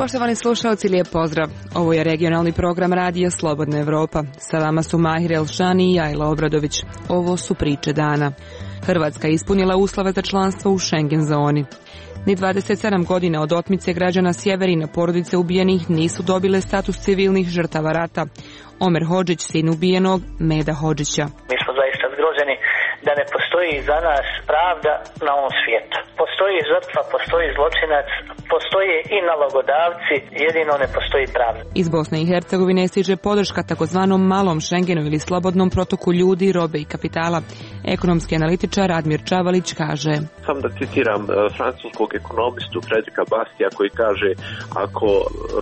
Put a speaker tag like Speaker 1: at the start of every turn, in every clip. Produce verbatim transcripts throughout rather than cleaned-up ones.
Speaker 1: Poštovani slušalci, lijep pozdrav. Ovo je regionalni program Radija Slobodna Evropa. Sa vama su Mahir Elšani i Jajla Obradović. Ovo su priče dana. Hrvatska je ispunila uslove za članstvo u Schengen zoni. Ni dvadeset sedam godina od otmice građana Sjeverina, porodice ubijenih nisu dobile status civilnih žrtava rata. Omer Hodžić, sin ubijenog Meda Hodžića.
Speaker 2: Mi smo zaista zgroženi da ne postoji za nas pravda na ovom svijetu. Postoji žrtva, postoji zločinac, postoje i nalogodavci, jedino ne postoji pravda.
Speaker 1: Iz Bosne i Hercegovine stiže podrška takozvanom malom Schengenu ili slobodnom protoku ljudi, robe i kapitala. Ekonomski analitičar Admir Čavalić kaže:
Speaker 3: Sam da citiram francuskog ekonomistu Fredrika Bastija koji kaže: ako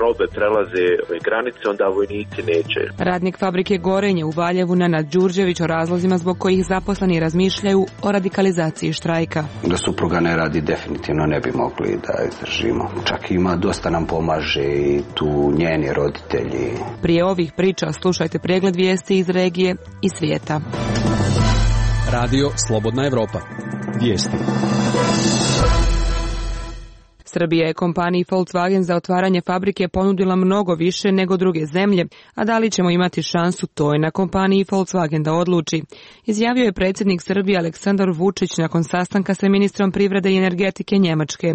Speaker 3: robe prelaze granice, onda vojnici neće.
Speaker 1: Radnik fabrike Gorenje u Valjevu Nenad Đurđević o razlozima zbog kojih zaposleni razmišljaju o radikalizaciji štrajka.
Speaker 4: Da supruga ne radi, definitivno ne bi mogli da izdržimo. Čak ima, dosta nam pomaže i tu njeni roditelji.
Speaker 1: Prije ovih priča slušajte pregled vijesti iz regije i svijeta.
Speaker 5: Radio Slobodna Evropa. Vijesti.
Speaker 1: Srbija je kompaniji Volkswagen za otvaranje fabrike ponudila mnogo više nego druge zemlje, a da li ćemo imati šansu, to je na kompaniji Volkswagen da odluči, izjavio je predsjednik Srbije Aleksandar Vučić nakon sastanka sa ministrom privrede i energetike Njemačke.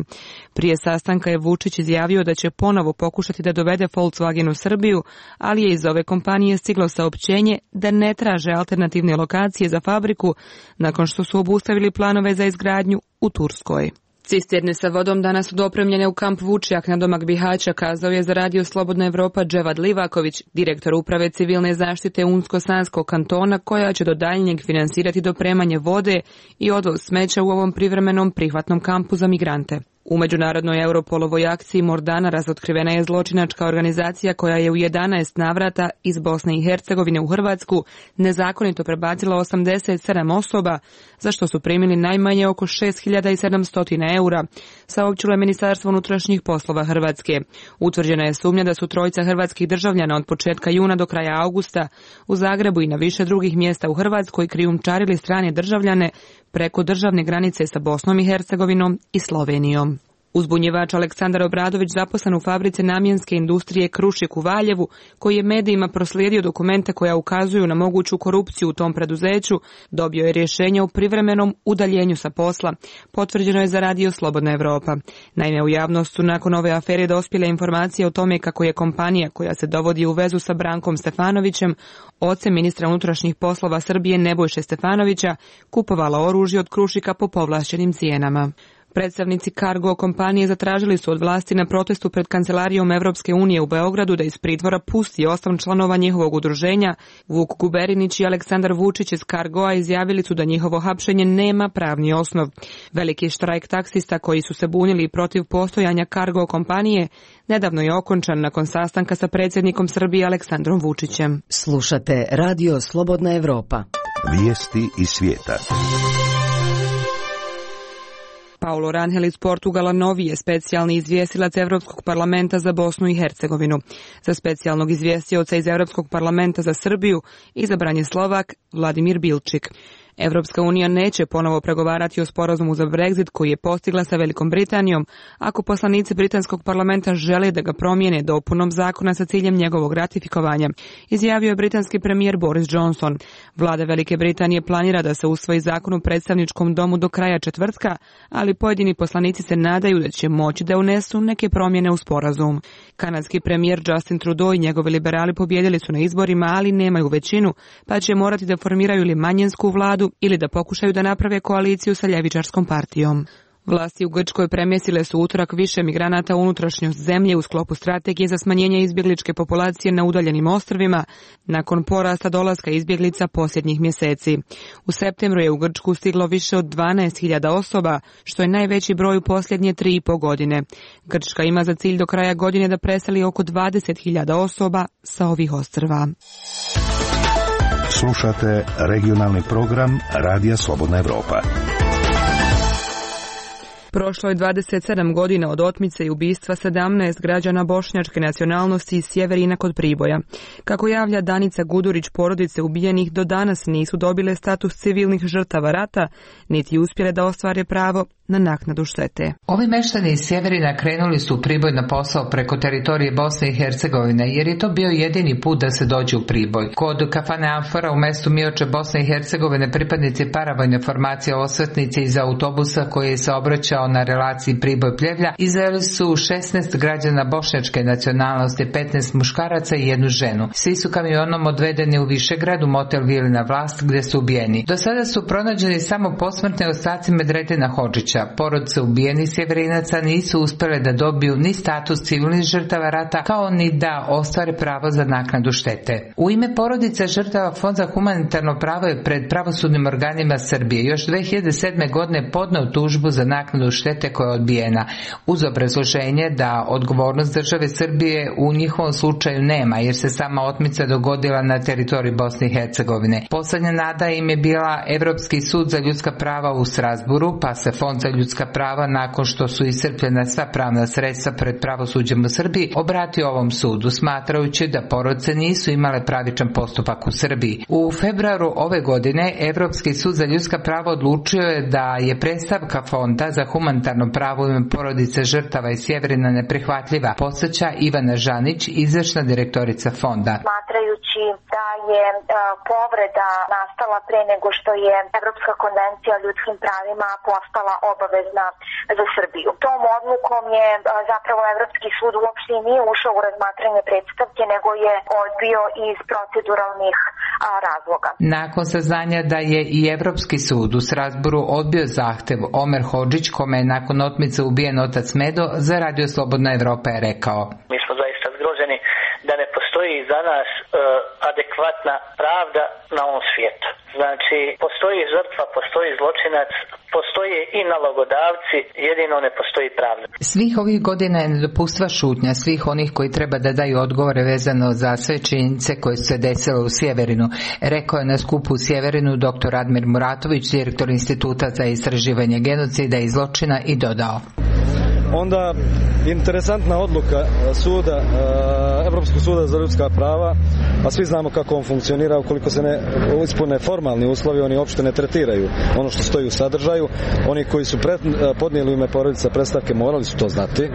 Speaker 1: Prije sastanka je Vučić izjavio da će ponovo pokušati da dovede Volkswagen u Srbiju, ali je iz ove kompanije stiglo saopćenje da ne traže alternativne lokacije za fabriku nakon što su obustavili planove za izgradnju u Turskoj. Cisterne sa vodom danas su dopremljene u kamp Vučjak na domak Bihaća, kazao je za Radio Slobodna Evropa Dževad Livaković, direktor uprave civilne zaštite Unsko-Sanskog kantona, koja će do daljnjeg finansirati dopremanje vode i odvoz smeća u ovom privremenom prihvatnom kampu za migrante. U međunarodnoj Europolovoj akciji Mordana razotkrivena je zločinačka organizacija koja je u jedanaest navrata iz Bosne i Hercegovine u Hrvatsku nezakonito prebacila osamdeset sedam osoba, za što su primili najmanje oko šest hiljada sedamsto eura, saopćilo je Ministarstvo unutrašnjih poslova Hrvatske. Utvrđena je sumnja da su trojica hrvatskih državljana od početka juna do kraja augusta u Zagrebu i na više drugih mjesta u Hrvatskoj krijumčarili strane državljane preko državne granice sa Bosnom i Hercegovinom i Slovenijom. Uzbunjivač Aleksandar Obradović, zaposlen u fabrici namjenske industrije Krušik u Valjevu, koji je medijima proslijedio dokumente koja ukazuju na moguću korupciju u tom preduzeću, dobio je rješenje o privremenom udaljenju sa posla, potvrđeno je za Radio Slobodna Evropa. Naime, u javnost su nakon ove afere dospjele informacije o tome kako je kompanija koja se dovodi u vezu sa Brankom Stefanovićem, ocem ministra unutrašnjih poslova Srbije Nebojše Stefanovića, kupovala oružje od Krušika po povlašćenim cijenama. Predstavnici Cargo kompanije zatražili su od vlasti na protestu pred kancelarijom Evropske unije u Beogradu da iz pritvora pusti osam članova njihovog udruženja. Vuk Guberinić i Aleksandar Vučić iz Cargoa izjavili su da njihovo hapšenje nema pravni osnov. Veliki štrajk taksista koji su se bunili protiv postojanja Cargo kompanije nedavno je okončan nakon sastanka sa predsjednikom Srbije Aleksandrom Vučićem.
Speaker 6: Slušate Radio Slobodna Evropa.
Speaker 7: Vijesti iz svijeta.
Speaker 1: Paulo Rangel iz Portugala novi je specijalni izvjestilac Evropskog parlamenta za Bosnu i Hercegovinu. Za specijalnog izvjestioca iz Evropskog parlamenta za Srbiju izabran je Slovak Vladimir Bilčik. Evropska unija neće ponovo pregovarati o sporazumu za Brexit koji je postigla sa Velikom Britanijom ako poslanici britanskog parlamenta žele da ga promijene dopunom zakona sa ciljem njegovog ratifikovanja, izjavio je britanski premijer Boris Johnson. Vlada Velike Britanije planira da se usvoji zakon u predstavničkom domu do kraja četvrtka, ali pojedini poslanici se nadaju da će moći da unesu neke promjene u sporazum. Kanadski premijer Justin Trudeau i njegovi liberali pobjedili su na izborima, ali nemaju većinu, pa će morati da formiraju ili manjinsku vladu ili da pokušaju da naprave koaliciju sa ljevičarskom partijom. Vlasti u Grčkoj premjestile su utorak više migranata u unutrašnjost zemlje u sklopu strategije za smanjenje izbjegličke populacije na udaljenim ostrvima nakon porasta dolaska izbjeglica posljednjih mjeseci. U septembru je u Grčku stiglo više od dvanaest hiljada osoba, što je najveći broj u posljednje tri i po godine. Grčka ima za cilj do kraja godine da preseli oko dvadeset hiljada osoba sa ovih ostrva.
Speaker 7: Slušate regionalni program Radija Slobodna Evropa.
Speaker 1: Prošlo je dvadeset sedam godina od otmice i ubistva sedamnaest građana bošnjačke nacionalnosti iz Sjeverina kod Priboja. Kako javlja Danica Gudurić, porodice ubijenih do danas nisu dobile status civilnih žrtava rata, niti uspjele da ostvare pravo na naknadu štete.
Speaker 8: Ovi meštani iz Sjeverina krenuli su u Priboj na posao preko teritorije Bosne i Hercegovine, jer je to bio jedini put da se dođe u Priboj. Kod kafane Amfora u mestu Mioče, Bosne i Hercegovine, pripadnici paravojne formacije osvetnice iz autobusa koji je se obraćao na relaciji Priboj-Pljevlja izveli su šesnaest građana bošnjačke nacionalnosti, petnaest muškaraca i jednu ženu. Svi su kamionom odvedeni u Višegrad u motel Vilina Vlast gdje su ubijeni. Do sada su pronađeni samo posmrtne ostaci Medredina Hodžića. Porodice ubijenih Sjeverinaca nisu uspjele da dobiju ni status civilnih žrtava rata, kao ni da ostvare pravo za naknadu štete. U ime porodice žrtava Fond za humanitarno pravo je pred pravosudnim organima Srbije još dve hiljade sedme. godine podneo tužbu za naknadu štete koja je odbijena, uz obrazloženje da odgovornost države Srbije u njihovom slučaju nema, jer se sama otmica dogodila na teritoriji Bosne i Hercegovine. Poslednja nada im je bila Evropski sud za ljudska prava u Strasburu, pa se Fond za ljudska prava, nakon što su iscrpljena sva pravna sredstva pred pravosuđem u Srbiji, obratio ovom sudu, smatrajući da porodice nisu imale pravičan postupak u Srbiji. U februaru ove godine Evropski sud za ljudska prava odlučio je da je predstavka Fonda za humanitarno pravo u ime porodice žrtava iz Sjeverina neprihvatljiva, podsjeća Ivana Žanić, izvršna direktorica Fonda.
Speaker 9: Smatrajući da je uh, povreda nastala pre nego što je Evropska konvencija o ljudskim pravima postala obavezna za Srbiju. Tom odlukom je uh, zapravo Evropski sud uopšte nije ušao u razmatranje predstavke, nego je odbio iz proceduralnih uh, razloga.
Speaker 8: Nakon saznanja da je i Evropski sud u Strasburu odbio zahtev, Omer Hodžić, kome je nakon otmice ubijen otac Medo, za Radio Slobodna Evropa je rekao:
Speaker 2: Mi smo zaista zgroženi da ne postoji za nas uh, adekvatna pravda na ovom svijetu. Znači, postoji žrtva, postoji zločinac, postoje i nalogodavci, jedino ne postoji pravda.
Speaker 8: Svih ovih godina je nedopustiva šutnja svih onih koji treba da daju odgovore vezano za sve činjenice koje su se desile u Sjeverinu, rekao je na skupu u Sjeverinu dr. Admir Muratović, direktor Instituta za istraživanje genocida i zločina, i dodao:
Speaker 10: Onda interesantna odluka suda, Evropskog suda za ljudska prava, a svi znamo kako on funkcionira, ukoliko se ne ispune formalni uslovi, oni uopšte ne tretiraju ono što stoji u sadržaju. Oni koji su pred, podnijeli u ime porodica predstavke morali su to znati.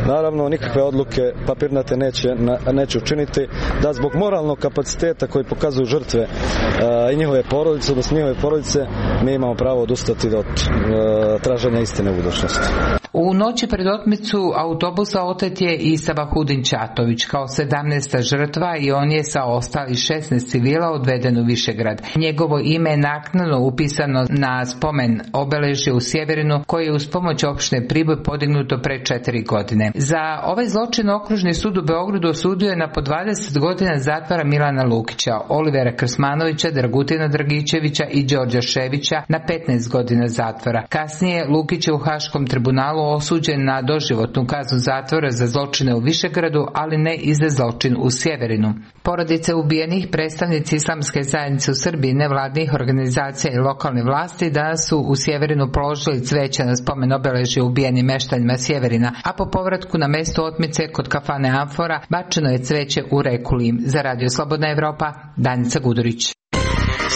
Speaker 10: Naravno, nikakve odluke papirnate neće, neće učiniti da zbog moralnog kapaciteta koji pokazuju žrtve i njihove porodice, odnosno njihove porodice, mi imamo pravo odustati od traženja istine u budućnosti.
Speaker 8: U noći pred otmicu autobusa otet je i Sabahudin Ćatović kao sedamnaesta žrtva i on je sa ostali šesnaest civila odveden u Višegrad. Njegovo ime je naknadno upisano na spomen obeležje u Sjeverinu koje je uz pomoć opštine Priboj podignuto pre četiri godine. Za ovaj zločin okružni sud u Beogradu osudio je na po dvadeset godina zatvora Milana Lukića, Olivera Krsmanovića, Dragutina Dragićevića i Đorđa Ševića na petnaest godina zatvora. Kasnije Lukić je u Haškom tribunalu osuđen na doživotnu kaznu zatvora za zločine u Višegradu, ali ne i za zločin u Sjeverinu. Porodice ubijenih, predstavnici islamske zajednice u Srbiji, nevladnih organizacija i lokalne vlasti danas su u Sjeverinu položili cveće na spomen obeležje ubijenim meštanjima Sjeverina, a po povratku na mesto otmice kod kafane Amfora bačeno je cveće u reku Lim. Za Radio Slobodna Evropa, Danica Gudurić.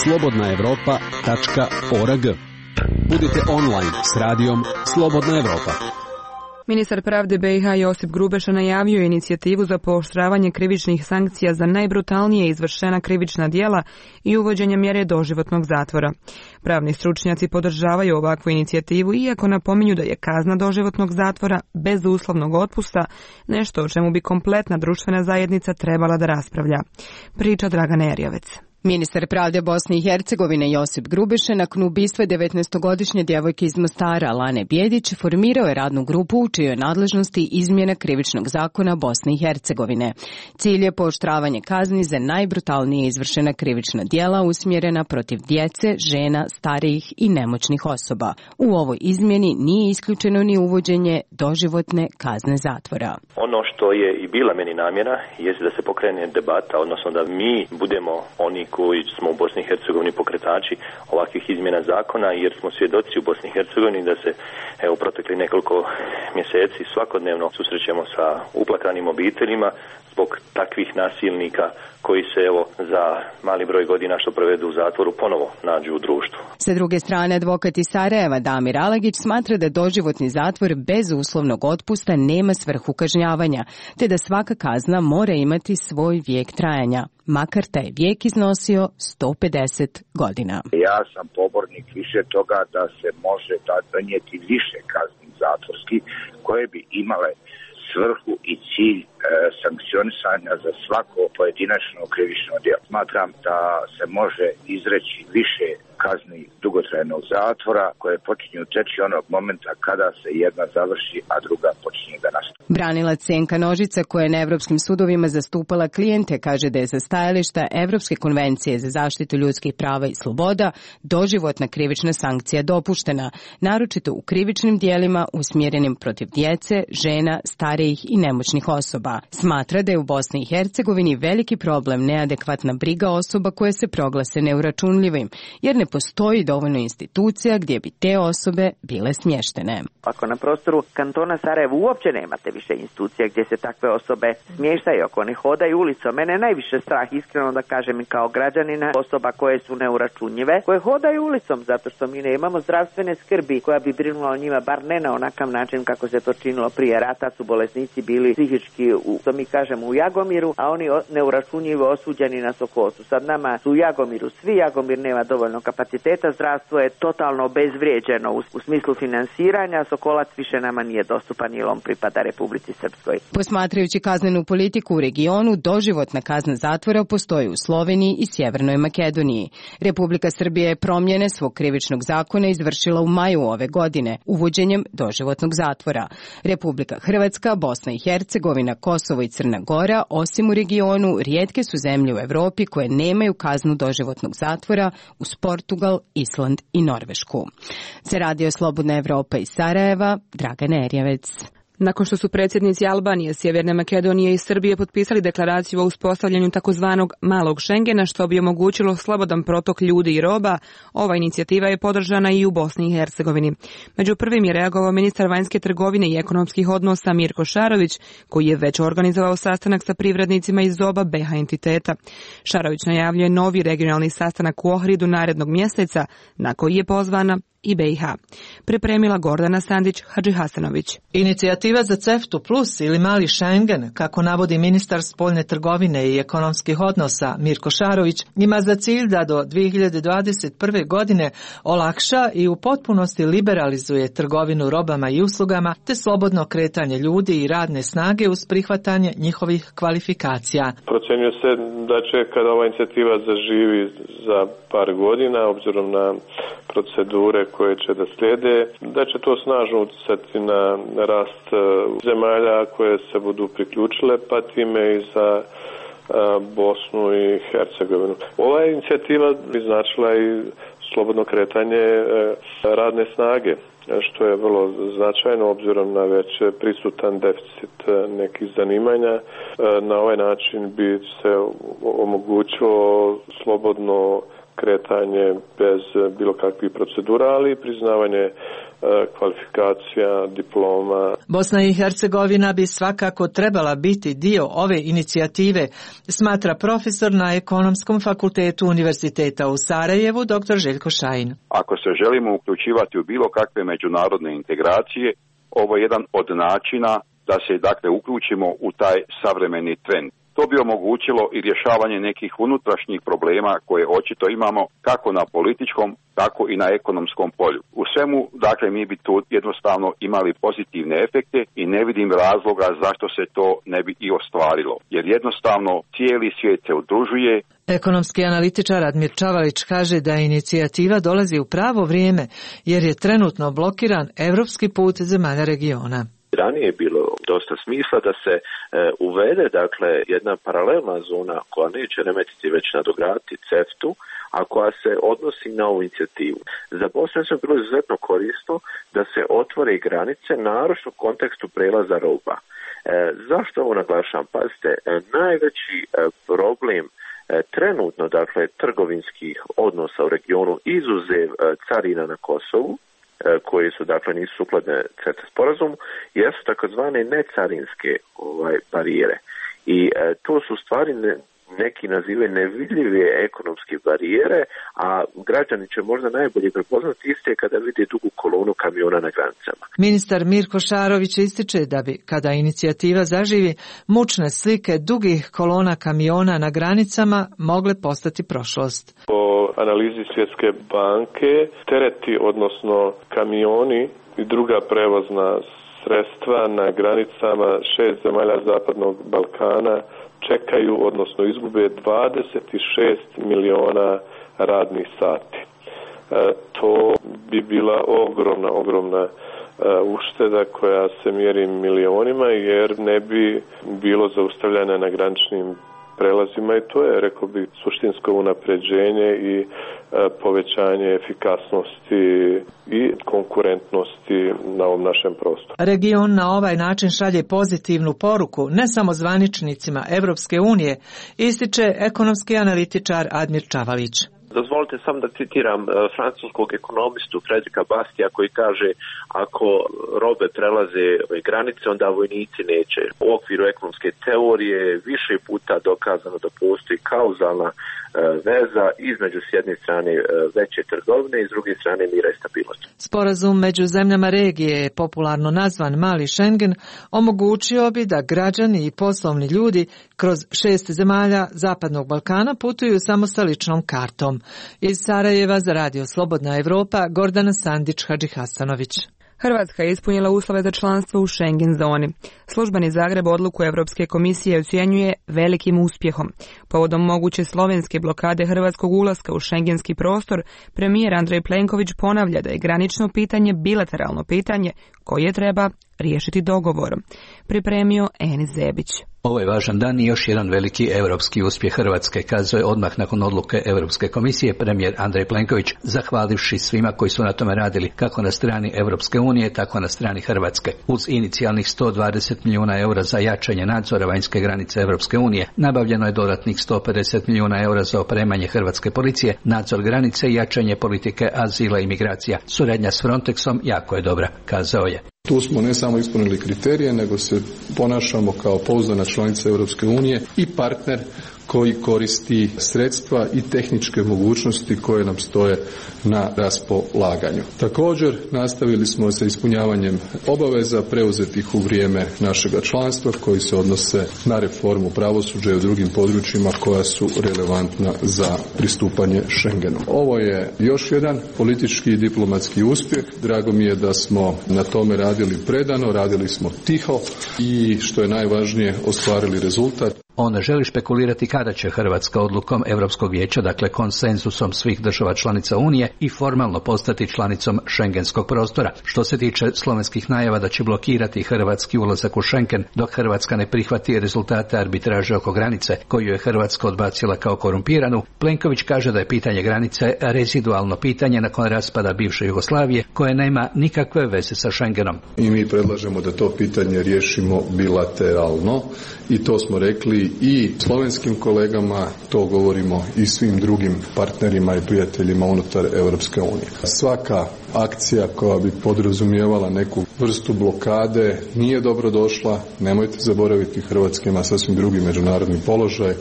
Speaker 5: slobodna evropa tačka org. Budite online s radijom Slobodna Evropa.
Speaker 1: Ministar pravde be i ha Josip Grubeša najavio je inicijativu za pooštravanje krivičnih sankcija za najbrutalnije izvršena krivična djela i uvođenje mjere doživotnog zatvora. Pravni stručnjaci podržavaju ovakvu inicijativu, iako napominju da je kazna doživotnog zatvora bez uslovnog otpusta nešto o čemu bi kompletna društvena zajednica trebala da raspravlja. Priča Dragana Erjovec.
Speaker 6: Ministar pravde Bosne i Hercegovine Josip Grubeša nakon ubistva devetnaestogodišnje djevojke iz Mostara Lane Bjedić formirao je radnu grupu u čijoj nadležnosti izmjena krivičnog zakona Bosne i Hercegovine. Cilj je pooštravanje kazni za najbrutalnije izvršena krivična djela usmjerena protiv djece, žena, starijih i nemoćnih osoba. U ovoj izmjeni nije isključeno ni uvođenje doživotne kazne zatvora.
Speaker 11: Ono što je i bila meni namjera je da se pokrene debata, odnosno da mi budemo oni Hrvatsku i smo u Bosni i Hercegovini pokretači ovakvih izmjena zakona, jer smo svjedoci u Bosni i Hercegovini da se evo protekli nekoliko mjeseci svakodnevno susrećemo sa uplakanim obiteljima zbog takvih nasilnika koji se evo za mali broj godina što provedu u zatvoru ponovo nađu u društvu.
Speaker 6: Sa druge strane, advokat iz Sarajeva Damir Alagić smatra da doživotni zatvor bez uslovnog otpusta nema svrhu kažnjavanja, te da svaka kazna mora imati svoj vijek trajanja, makar taj vijek iznosio sto pedeset godina.
Speaker 12: Ja sam pobornik više toga da se može donijeti više kazni zatvorskih koje bi imale svrhu i cilj e, sankcionisanja za svako pojedinačno krivično djelo. Smatram da se može izreći više kazni dugotrajnog zatvora koje počinju teći onog momenta kada se jedna završi, a druga počinje da nastavi.
Speaker 6: Branilac Senka Nožica, koja je na evropskim sudovima zastupala klijente, kaže da je za stajališta Evropske konvencije za zaštitu ljudskih prava i sloboda doživotna krivična sankcija dopuštena, naročito u krivičnim dijelima usmjerenim protiv djece, žena, starijih i nemoćnih osoba. Smatra da je u Bosni i Hercegovini veliki problem neadekvatna briga osoba koje se proglase neuračunljivim, jer ne postoji dovoljno institucija gdje bi te osobe bile smještene.
Speaker 13: Ako na prostoru kantona Sarajevo uopće nemate više institucija gdje se takve osobe smještaju, ako ne hodaju ulicom, mene najviše strah, iskreno da kažem i kao građanina, osoba koje su neuračunljive, koje hodaju ulicom zato što mi nemamo zdravstvene skrbi koja bi brinula o njima, bar ne na onakav način kako se to činilo prije rata, su bolesnici bili psihički, u, što mi kažemo, u Jagomiru, a oni neuračunljivo osuđeni na Sokosu. Sad nama su u Jagomiru svi, Jagomir nema dovoljno kapaciteta, zdravstvo je totalno obezvrijeđeno u, u smislu finansiranja, Sokolac više nama nije dostupan jer on pripada Republici Srpskoj.
Speaker 6: Posmatrajući kaznenu politiku u regionu, doživotna kazna zatvora postoji u Sloveniji i Sjevernoj Makedoniji. Republika Srbija je promjene svog krivičnog zakona izvršila u maju ove godine, uvođenjem doživotnog zatvora. Republika Hrvatska, Bosna i Hercegovina, Kosovo i Crna Gora, osim u regionu, rijetke su zemlje u Europi koje nemaju kaznu doživotnog zatvora uz Portugal, Island i Norvešku. Za Radio Slobodna Evropa iz Sarajeva, Dragana Erjevec.
Speaker 1: Nakon što su predsjednici Albanije, Sjeverne Makedonije i Srbije potpisali deklaraciju o uspostavljanju takozvanog malog Šengena što bi omogućilo slobodan protok ljudi i roba, ova inicijativa je podržana i u Bosni i Hercegovini. Među prvim je reagovao ministar vanjske trgovine i ekonomskih odnosa Mirko Šarović, koji je već organizovao sastanak sa privrednicima iz oba B iH entiteta. Šarović najavljuje novi regionalni sastanak u Ohridu narednog mjeseca, na koji je pozvana i B iH. Pripremila Gordana Sandić Hadžihasanović.
Speaker 14: Inicijativa za CEFTA plus ili mali Schengen, kako navodi ministar spoljne trgovine i ekonomskih odnosa Mirko Šarović, ima za cilj da do dvije hiljade dvadeset prve. godine olakša i u potpunosti liberalizuje trgovinu robama i uslugama te slobodno kretanje ljudi i radne snage uz prihvatanje njihovih kvalifikacija.
Speaker 15: Procjenjuje se da će kada ova inicijativa zaživi za par godina, obzirom na procedure koje će da slijede, da će to snažno utjecati na rast zemalja koje se budu priključile, pa time i za Bosnu i Hercegovinu. Ova inicijativa bi značila i slobodno kretanje radne snage, što je vrlo značajno obzirom na već prisutan deficit nekih zanimanja. Na ovaj način bi se omogućilo slobodno kretanje bez bilo kakvih procedura, ali i priznavanje kvalifikacija, diploma.
Speaker 14: Bosna i Hercegovina bi svakako trebala biti dio ove inicijative, smatra profesor na Ekonomskom fakultetu Univerziteta u Sarajevu, dr. Željko Šajin.
Speaker 16: Ako se želimo uključivati u bilo kakve međunarodne integracije, ovo je jedan od načina da se dakle uključimo u taj savremeni trend. To bi omogućilo i rješavanje nekih unutrašnjih problema koje očito imamo kako na političkom, tako i na ekonomskom polju. U svemu, dakle, mi bi tu jednostavno imali pozitivne efekte i ne vidim razloga zašto se to ne bi i ostvarilo. Jer jednostavno cijeli svijet se udružuje.
Speaker 14: Ekonomski analitičar Admir Čavalić kaže da inicijativa dolazi u pravo vrijeme jer je trenutno blokiran evropski put zemalja regiona.
Speaker 3: Ranije je bilo dosta smisla da se e, uvede dakle jedna paralelna zona koja neće remetiti već nadograditi CEFTA-u, a koja se odnosi na ovu inicijativu. Za Bosnu je bilo izuzetno korisno da se otvore granice, naročito u kontekstu prelaza roba. E, zašto ovo naglašavam? Pazite, e, najveći e, problem trenutno, dakle, trgovinskih odnosa u regionu izuzev carina na Kosovu, koje su, dakle, nisu sukladne CETA sporazumu, jesu takozvane necarinske ovaj, barijere. I e, to su stvari ne, neki nazivaju nevidljive ekonomske barijere, a građani će možda najbolje prepoznati iste kada vide dugu kolonu kamiona na granicama.
Speaker 14: Ministar Mirko Šarović ističe da bi, kada inicijativa zaživi, mučne slike dugih kolona kamiona na granicama mogle postati prošlost.
Speaker 15: Po analizi Svjetske banke, tereti, odnosno kamioni i druga prevozna sredstva na granicama šest zemalja Zapadnog Balkana čekaju, odnosno izgube dvadeset šest miliona radnih sati. E, to bi bila ogromna, ogromna e, ušteda koja se mjeri milionima, jer ne bi bilo zaustavljanja na graničnim prelazima i to je, rekao bi, suštinsko unapređenje i e, povećanje efikasnosti i konkurentnosti na ovom našem prostoru.
Speaker 14: Region na ovaj način šalje pozitivnu poruku ne samo zvaničnicima Evropske unije, ističe ekonomski analitičar Admir Čavalić.
Speaker 3: Dozvolite samo da citiram uh, francuskog ekonomistu Fredrika Bastija koji kaže ako robe prelaze granice, onda vojnici neće. U okviru ekonomske teorije više puta dokazano da postoji kauzalna uh, veza između s jedne strane uh, veće trgovine i s druge strane mira i stabilnosti.
Speaker 14: Sporazum među zemljama regije, popularno nazvan Mali Schengen, omogućio bi da građani i poslovni ljudi kroz šest zemalja Zapadnog Balkana putuju samo sa ličnom kartom. Iz Sarajeva za Radio Slobodna Evropa, Gordana Sandić-Hadžihasanović.
Speaker 1: Hrvatska je ispunila uslove za članstvo u Schengen zoni. Službeni Zagreb odluku Europske komisije ocjenjuje velikim uspjehom. Povodom moguće slovenske blokade hrvatskog ulaska u šengenski prostor, premijer Andrej Plenković ponavlja da je granično pitanje bilateralno pitanje koje treba riješiti dogovorom. Pripremio Enis Zebić.
Speaker 17: Ovo je važan dan i još jedan veliki europski uspjeh Hrvatske, kazao je odmah nakon odluke Europske komisije premijer Andrej Plenković, zahvalivši svima koji su na tome radili, kako na strani Europske unije, tako na strani Hrvatske. Uz inicijalnih sto dvadeset milijuna eura za jačanje nadzora vanjske granice Europske unije, nabavljeno je dodatnih sto pedeset milijuna eura za opremanje hrvatske policije, nadzor granice i jačanje politike azila i migracija. Suradnja s Frontexom jako je dobra, kazao je.
Speaker 18: Tu smo ne samo ispunili kriterije, nego se ponašamo kao pouzdana članica Europske unije i partner koji koristi sredstva i tehničke mogućnosti koje nam stoje na raspolaganju. Također nastavili smo sa ispunjavanjem obaveza preuzetih u vrijeme našega članstva koji se odnose na reformu pravosuđa i u drugim područjima koja su relevantna za pristupanje Schengenu. Ovo je još jedan politički i diplomatski uspjeh. Drago mi je da smo na tome radili predano, radili smo tiho i što je najvažnije ostvarili rezultat.
Speaker 17: On ne želi špekulirati kada će Hrvatska odlukom Europskog vijeća, dakle konsenzusom svih država članica Unije, i formalno postati članicom šengenskog prostora. Što se tiče slovenskih najava da će blokirati hrvatski ulazak u Schengen dok Hrvatska ne prihvati rezultate arbitraže oko granice, koju je Hrvatska odbacila kao korumpiranu, Plenković kaže da je pitanje granice rezidualno pitanje nakon raspada bivše Jugoslavije koje nema nikakve veze sa Schengenom.
Speaker 18: I mi predlažemo da to pitanje riješimo bilateralno i to smo rekli i slovenskim kolegama, to govorimo i svim drugim partnerima i prijateljima unutar Europske unije. Svaka akcija koja bi podrazumijevala neku vrstu blokade nije dobro došla. Nemojte zaboraviti, Hrvatska ima sasvim drugi međunarodni položaj,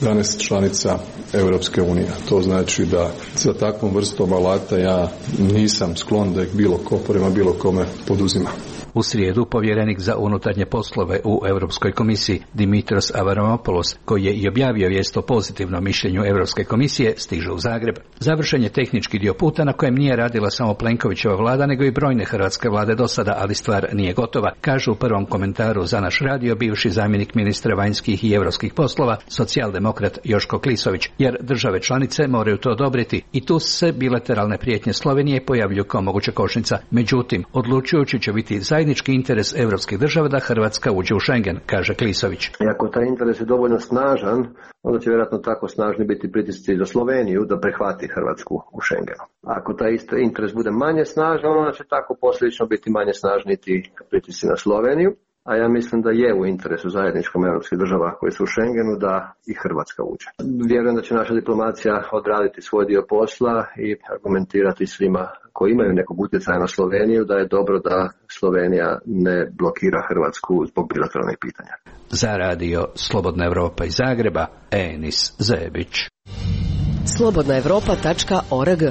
Speaker 18: danas članica Europske unije. To znači da za takvom vrstom alata ja nisam sklon da ih bilo ko prema bilo kome poduzima.
Speaker 17: U srijedu povjerenik za unutarnje poslove u Europskoj komisiji Dimitros Avramopoulos, koji je i objavio vijest o pozitivnom mišljenju Europske komisije, stiže u Zagreb. Završen je tehnički dio puta na kojem nije radila samo Plenkovićeva vlada, nego i brojne hrvatske vlade do sada, ali stvar nije gotova, kaže u prvom komentaru za naš radio bivši zamjenik ministra vanjskih i europskih poslova, socijaldemokrat Joško Klisović, jer države članice moraju to odobriti i tu se bilateralne prijetnje Slovenije pojavljuju kao moguća kočnica. Međutim, odlučujući će biti zajednički interes europskih država da Hrvatska uđe u Schengen, kaže Klisović.
Speaker 19: I ako taj interes je dovoljno snažan, onda će vjerojatno tako snažni biti pritisci za Sloveniju da prihvati Hrvatsku u Schengenu. Ako taj isti interes bude manje snažan, onda će tako posljedično biti manje snažni ti pritisci na Sloveniju. a ja mislim da je u interesu zajedničkom europskih država koji su u Schengenu da i Hrvatska uđe. Vjerujem da će naša diplomacija odraditi svoj dio posla i argumentirati svima koji imaju nekog utjecaja na Sloveniju da je dobro da Slovenija ne blokira Hrvatsku zbog bilateralnih pitanja.
Speaker 17: Za radio Slobodna Evropa iz Zagreba, Enis Zebić.
Speaker 6: slobodna evropa tačka org.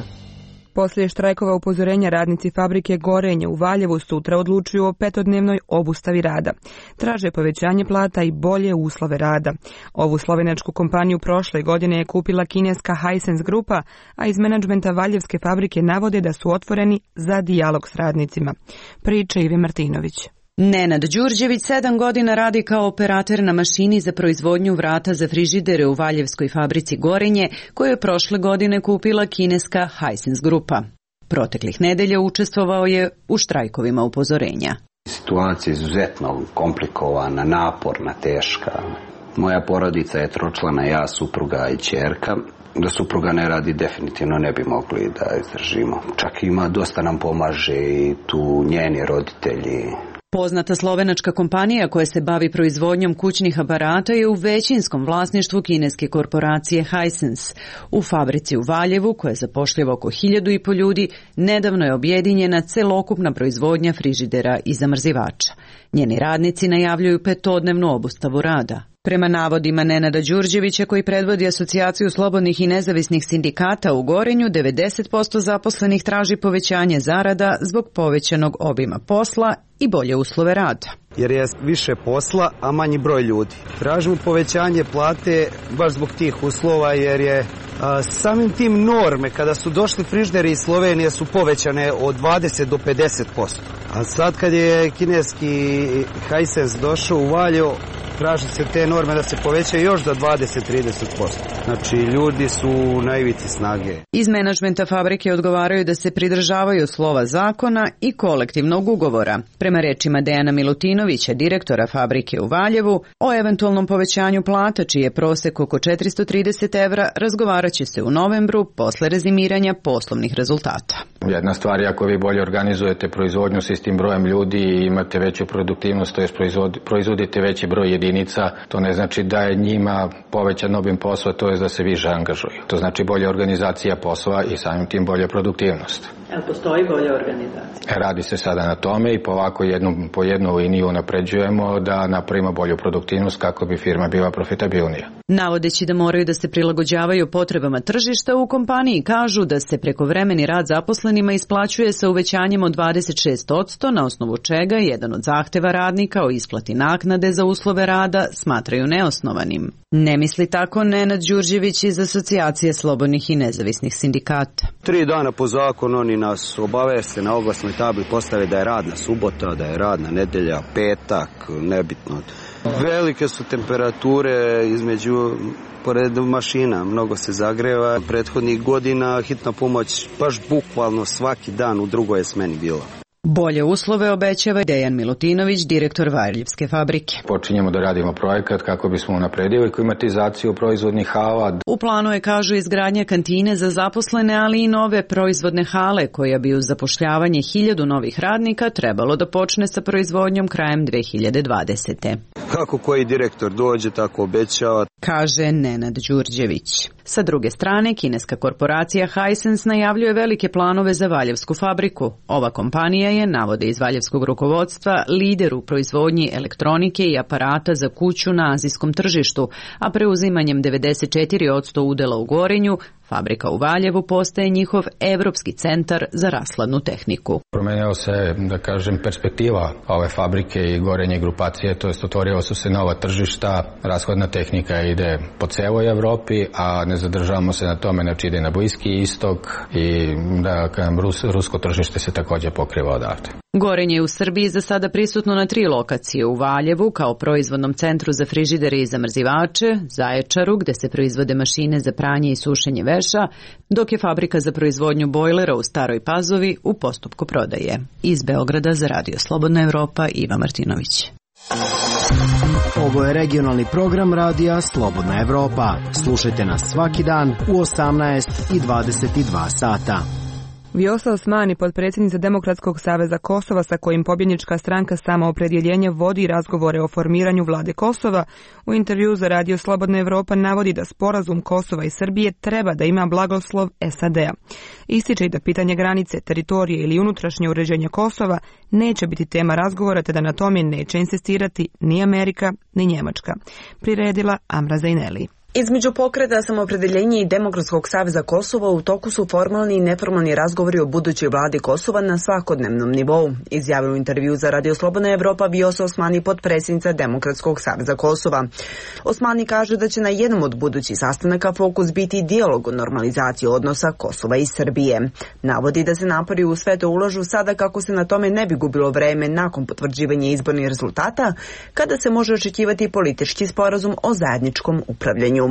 Speaker 1: Poslije štrajkova upozorenja radnici fabrike Gorenje u Valjevu sutra odlučuju o petodnevnoj obustavi rada. Traže povećanje plata i bolje uslove rada. Ovu slovenačku kompaniju prošle godine je kupila kineska Hisense grupa, a iz menadžmenta Valjevske fabrike navode da su otvoreni za dijalog s radnicima. Priča Ive Martinović.
Speaker 20: Nenad Đurđević sedam godina radi kao operater na mašini za proizvodnju vrata za frižidere u Valjevskoj fabrici Gorenje, koju je prošle godine kupila kineska Hisense grupa. Proteklih nedelja učestvovao je u štrajkovima upozorenja.
Speaker 4: Situacija je izuzetno komplikovana, naporna, teška. Moja porodica je tročlana, ja, supruga i ćerka. Da supruga ne radi, definitivno ne bi mogli da izdržimo. Čak ima, dosta nam pomaže i tu njeni roditelji.
Speaker 20: Poznata slovenačka kompanija koja se bavi proizvodnjom kućnih aparata je u većinskom vlasništvu kineske korporacije Hisense. U fabrici u Valjevu, koja zapošljava oko hiljadu i po ljudi, nedavno je objedinjena celokupna proizvodnja frižidera i zamrzivača. Njeni radnici najavljuju petodnevnu obustavu rada. Prema navodima Nenada Đurđevića, koji predvodi asocijaciju slobodnih i nezavisnih sindikata u Gorenju, devedeset posto zaposlenih traži povećanje zarada zbog povećanog obima posla i bolje uslove rada.
Speaker 21: Jer je više posla, a manji broj ljudi. Tražimo povećanje plate baš zbog tih uslova, jer je a, samim tim norme, kada su došli frižideri iz Slovenije, su povećane od dvadeset do pedeset posto. A sad kad je kineski Hisense došao u Valjevo, traži se te norme da se povećaju još za dvadeset do trideset posto. Znači, ljudi su na ivici snage.
Speaker 20: Iz menadžmenta fabrike odgovaraju da se pridržavaju slova zakona i kolektivnog ugovora. Prema rečima Dejana Milutinovića, direktora fabrike u Valjevu, o eventualnom povećanju plata, čiji je prosek oko četiristo trideset evra, razgovarat će se u novembru posle rezimiranja poslovnih rezultata.
Speaker 22: Jedna stvar je ako vi bolje organizujete proizvodnju s istim brojem ljudi i imate veću produktivnost, to je proizvodite veći broj jedinica, to ne znači da je njima povećan obim posla, to je da se više angažuju. To znači bolja organizacija posla i samim tim bolja produktivnost.
Speaker 20: Jel postoji bolja organizacija?
Speaker 22: Radi se sada na tome i po ovako jednu, po jednu liniju napređujemo da napravimo bolju produktivnost kako bi firma bila profitabilnija.
Speaker 20: Navodeći da moraju da se prilagođavaju potrebama tržišta, u kompaniji kažu da se prekovremeni rad zaposlenima isplaćuje sa uvećanjem od dvadeset šest posto, na osnovu čega jedan od zahteva radnika o isplati naknade za uslove rada smatraju neosnovanim. Ne misli tako Nenad Đurđević iz Asocijacije slobodnih i nezavisnih sindikata.
Speaker 21: Tri dana po zakonu oni nas obaveste, na oglasnoj tabli postave da je radna subota, da je radna nedelja, petak, nebitno. Velike su temperature između pored mašina, mnogo se zagreva. Prethodnih godina hitna pomoć baš bukvalno svaki dan u drugoj je smeni bila.
Speaker 20: Bolje uslove obećava Dejan Milutinović, direktor Valjevske fabrike.
Speaker 22: Počinjemo da radimo projekat kako bismo unapredili klimatizaciju proizvodnih hala.
Speaker 20: U planu je, kažu, izgradnja kantine za zaposlene, ali i nove proizvodne hale, koja bi uz zapošljavanje hiljadu novih radnika trebalo da počne sa proizvodnjom krajem dve hiljade dvadesete.
Speaker 21: Kako koji direktor dođe, tako obećava,
Speaker 20: kaže Nenad Đurđević. Sa druge strane, kineska korporacija Hisense najavljuje velike planove za Valjevsku fabriku. Ova kompanija je, navode iz valjevskog rukovodstva, lider u proizvodnji elektronike i aparata za kuću na azijskom tržištu, a preuzimanjem devedeset četiri posto udela u Gorenju, fabrika u Valjevu postaje njihov evropski centar za rashladnu tehniku.
Speaker 22: Promenila se, da kažem, perspektiva ove fabrike i Gorenje grupacije, to jest otvorila su se nova tržišta, rashladna tehnika ide po celoj Evropi, a ne zadržavamo se na tome, znači ide na Bliski istok i da kažem, Rus, rusko tržište se također pokriva odavde.
Speaker 20: Gorenje je u Srbiji za sada prisutno na tri lokacije: u Valjevu kao proizvodnom centru za frižidere i zamrzivače, Zaječaru gde se proizvode mašine za pranje i sušenje veša, dok je fabrika za proizvodnju bojlera u Staroj Pazovi u postupku prodaje. Iz Beograda za Radio Slobodna Evropa, Iva Martinović.
Speaker 23: Ovo je regionalni program Radija Slobodna Evropa. Slušajte nas svaki dan u osamnaest i dvadeset dva sata.
Speaker 1: Vjosa Osmani, potpredsjednica Demokratskog saveza Kosova sa kojim pobjednička stranka Samoopredjeljenje vodi razgovore o formiranju vlade Kosova, u intervju za Radio Slobodna Evropa navodi da sporazum Kosova i Srbije treba da ima blagoslov S A D-a. Ističe i da pitanje granice, teritorije ili unutrašnje uređenje Kosova neće biti tema razgovora te da na tome neće insistirati ni Amerika ni Njemačka. Priredila Amra Zajneli.
Speaker 2: Između pokreta Samoopredjeljenje i Demokratskog saveza Kosova u toku su formalni i neformalni razgovori o budućoj vladi Kosova na svakodnevnom nivou, izjavila u intervju za Radio Slobodna Evropa Vjosa Osmani, potpredsjednica Demokratskog saveza Kosova. Osmani kaže da će na jednom od budućih sastanaka fokus biti dijalog o normalizaciji odnosa Kosova i Srbije. Navodi da se napori u sve to ulažu sada kako se na tome ne bi gubilo vreme nakon potvrđivanja izbornih rezultata, kada se može očekivati politički sporazum o zajedničkom upravljanju.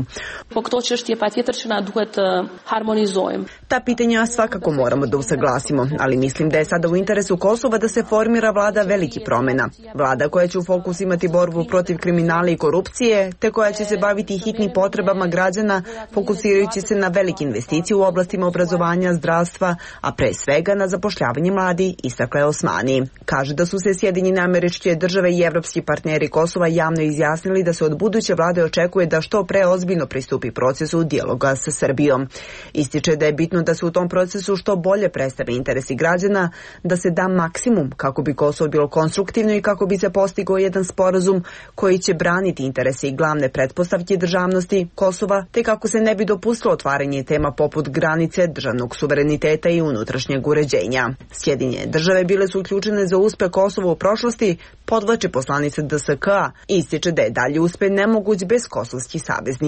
Speaker 2: Ta pitanja svakako moramo da usaglasimo, ali mislim da je sada u interesu Kosova da se formira vlada velikih promjena. Vlada koja će u fokus imati borbu protiv kriminala i korupcije, te koja će se baviti hitnim potrebama građana, fokusirajući se na velike investicije u oblastima obrazovanja, zdravstva, a pre svega na zapošljavanje mladi, istakla je Osmani. Kaže da su se Sjedinjene Američke Države i evropski partneri Kosova javno izjasnili da se od buduće vlade očekuje da što pre ozbiljno pristupi procesu dijaloga sa Srbijom. Ističe da je bitno da se u tom procesu što bolje predstave interesi građana, da se da maksimum kako bi Kosovo bilo konstruktivno i kako bi se postigao jedan sporazum koji će braniti interese i glavne pretpostavke državnosti Kosova, te kako se ne bi dopustilo otvaranje tema poput granice, državnog suvereniteta i unutrašnjeg uređenja. Sjedinjene Države bile su uključene za uspeh Kosova u prošlosti, podvlači poslanica D S K A, ističe da je dalje uspeh nemoguć bez kosovskih saveznika.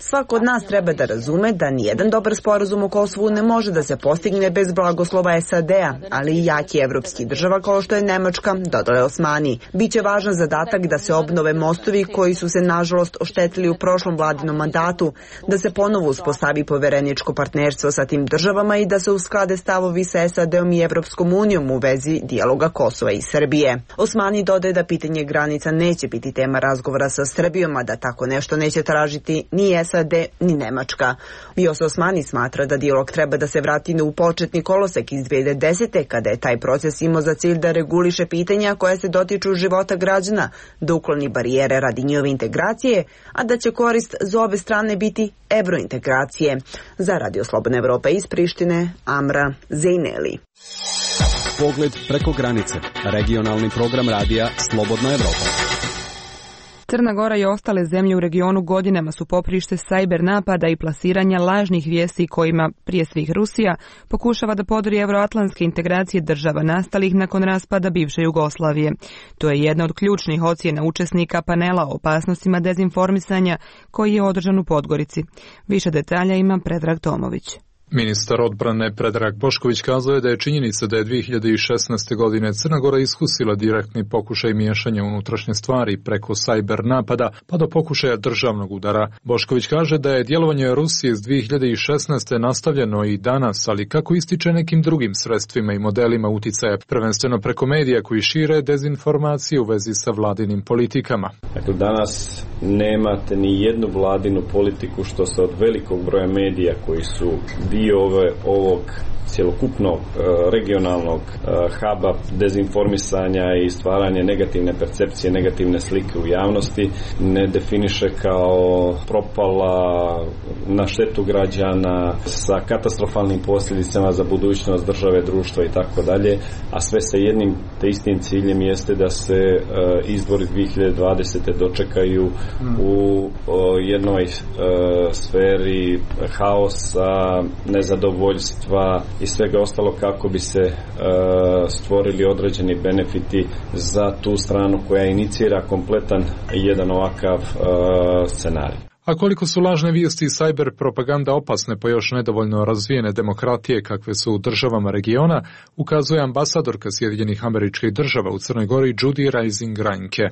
Speaker 2: Svako od nas treba da razume da nijedan dobar sporazum o Kosovu ne može da se postigne bez blagoslova S A D-a, ali i jaki evropski država kao što je Nemačka, dodala je Osmani. Biće važan zadatak da se obnove mostovi koji su se nažalost oštetili u prošlom vladinom mandatu, da se ponovo uspostavi povereničko partnerstvo sa tim državama i da se usklade stavovi sa S A D-om i Evropskom unijom u vezi dijaloga Kosova i Srbije. Osmani dodaje da pitanje granica neće biti tema razgovora sa Srbijom, a da tako nešto neće tražiti ni S A D ni Nemačka. Vjosa Osmani smatra da dijalog treba da se vrati u početni kolosek iz dve hiljade desete. kada je taj proces imao za cilj da reguliše pitanja koja se dotiču života građana, da ukloni barijere radi njihove integracije, a da će korist za obe strane biti evrointegracije. Za Radio Slobodna Evropa iz Prištine, Amra Zejneli.
Speaker 5: Pogled preko granice. Regionalni program radija Slobodna Evropa.
Speaker 1: Crna Gora i ostale zemlje u regionu godinama su poprište sajber napada i plasiranja lažnih vijesti kojima, prije svih Rusija, pokušava da podori evroatlantske integracije država nastalih nakon raspada bivše Jugoslavije. To je jedna od ključnih ocjena učesnika panela o opasnostima dezinformisanja koji je održan u Podgorici. Više detalja ima Predrag Tomović.
Speaker 7: Ministar odbrane Predrag Bošković kazao je da je činjenica da je dve hiljade šesnaeste. godine Crna Gora iskusila direktni pokušaj miješanja unutrašnje stvari preko sajber napada pa do pokušaja državnog udara. Bošković kaže da je djelovanje Rusije iz dve hiljade šesnaeste. nastavljeno i danas, ali kako ističe nekim drugim sredstvima i modelima uticaja, prvenstveno preko medija koji šire dezinformacije u vezi sa vladinim politikama.
Speaker 9: Dakle, danas nemate ni jednu vladinu politiku što se od velikog broja medija koji su dio ove, ovog cjelokupnog regionalnog huba dezinformisanja i stvaranje negativne percepcije, negativne slike u javnosti ne definiše kao propala, na štetu građana, sa katastrofalnim posljedicama za budućnost države, društva i tako dalje, a sve sa jednim te istim ciljem jeste da se izbori dve hiljade dvadesete. dočekaju u jednoj sferi haosa, nezadovoljstva i svega ostalo kako bi se e, stvorili određeni benefiti za tu stranu koja inicira kompletan jedan ovakav e, scenarij.
Speaker 7: A koliko su lažne vijesti i sajber propaganda opasne po još nedovoljno razvijene demokratije kakve su u državama regiona, ukazuje ambasadorka Sjedinjenih Američkih Država u Crnoj Gori Judy Rising Ranke.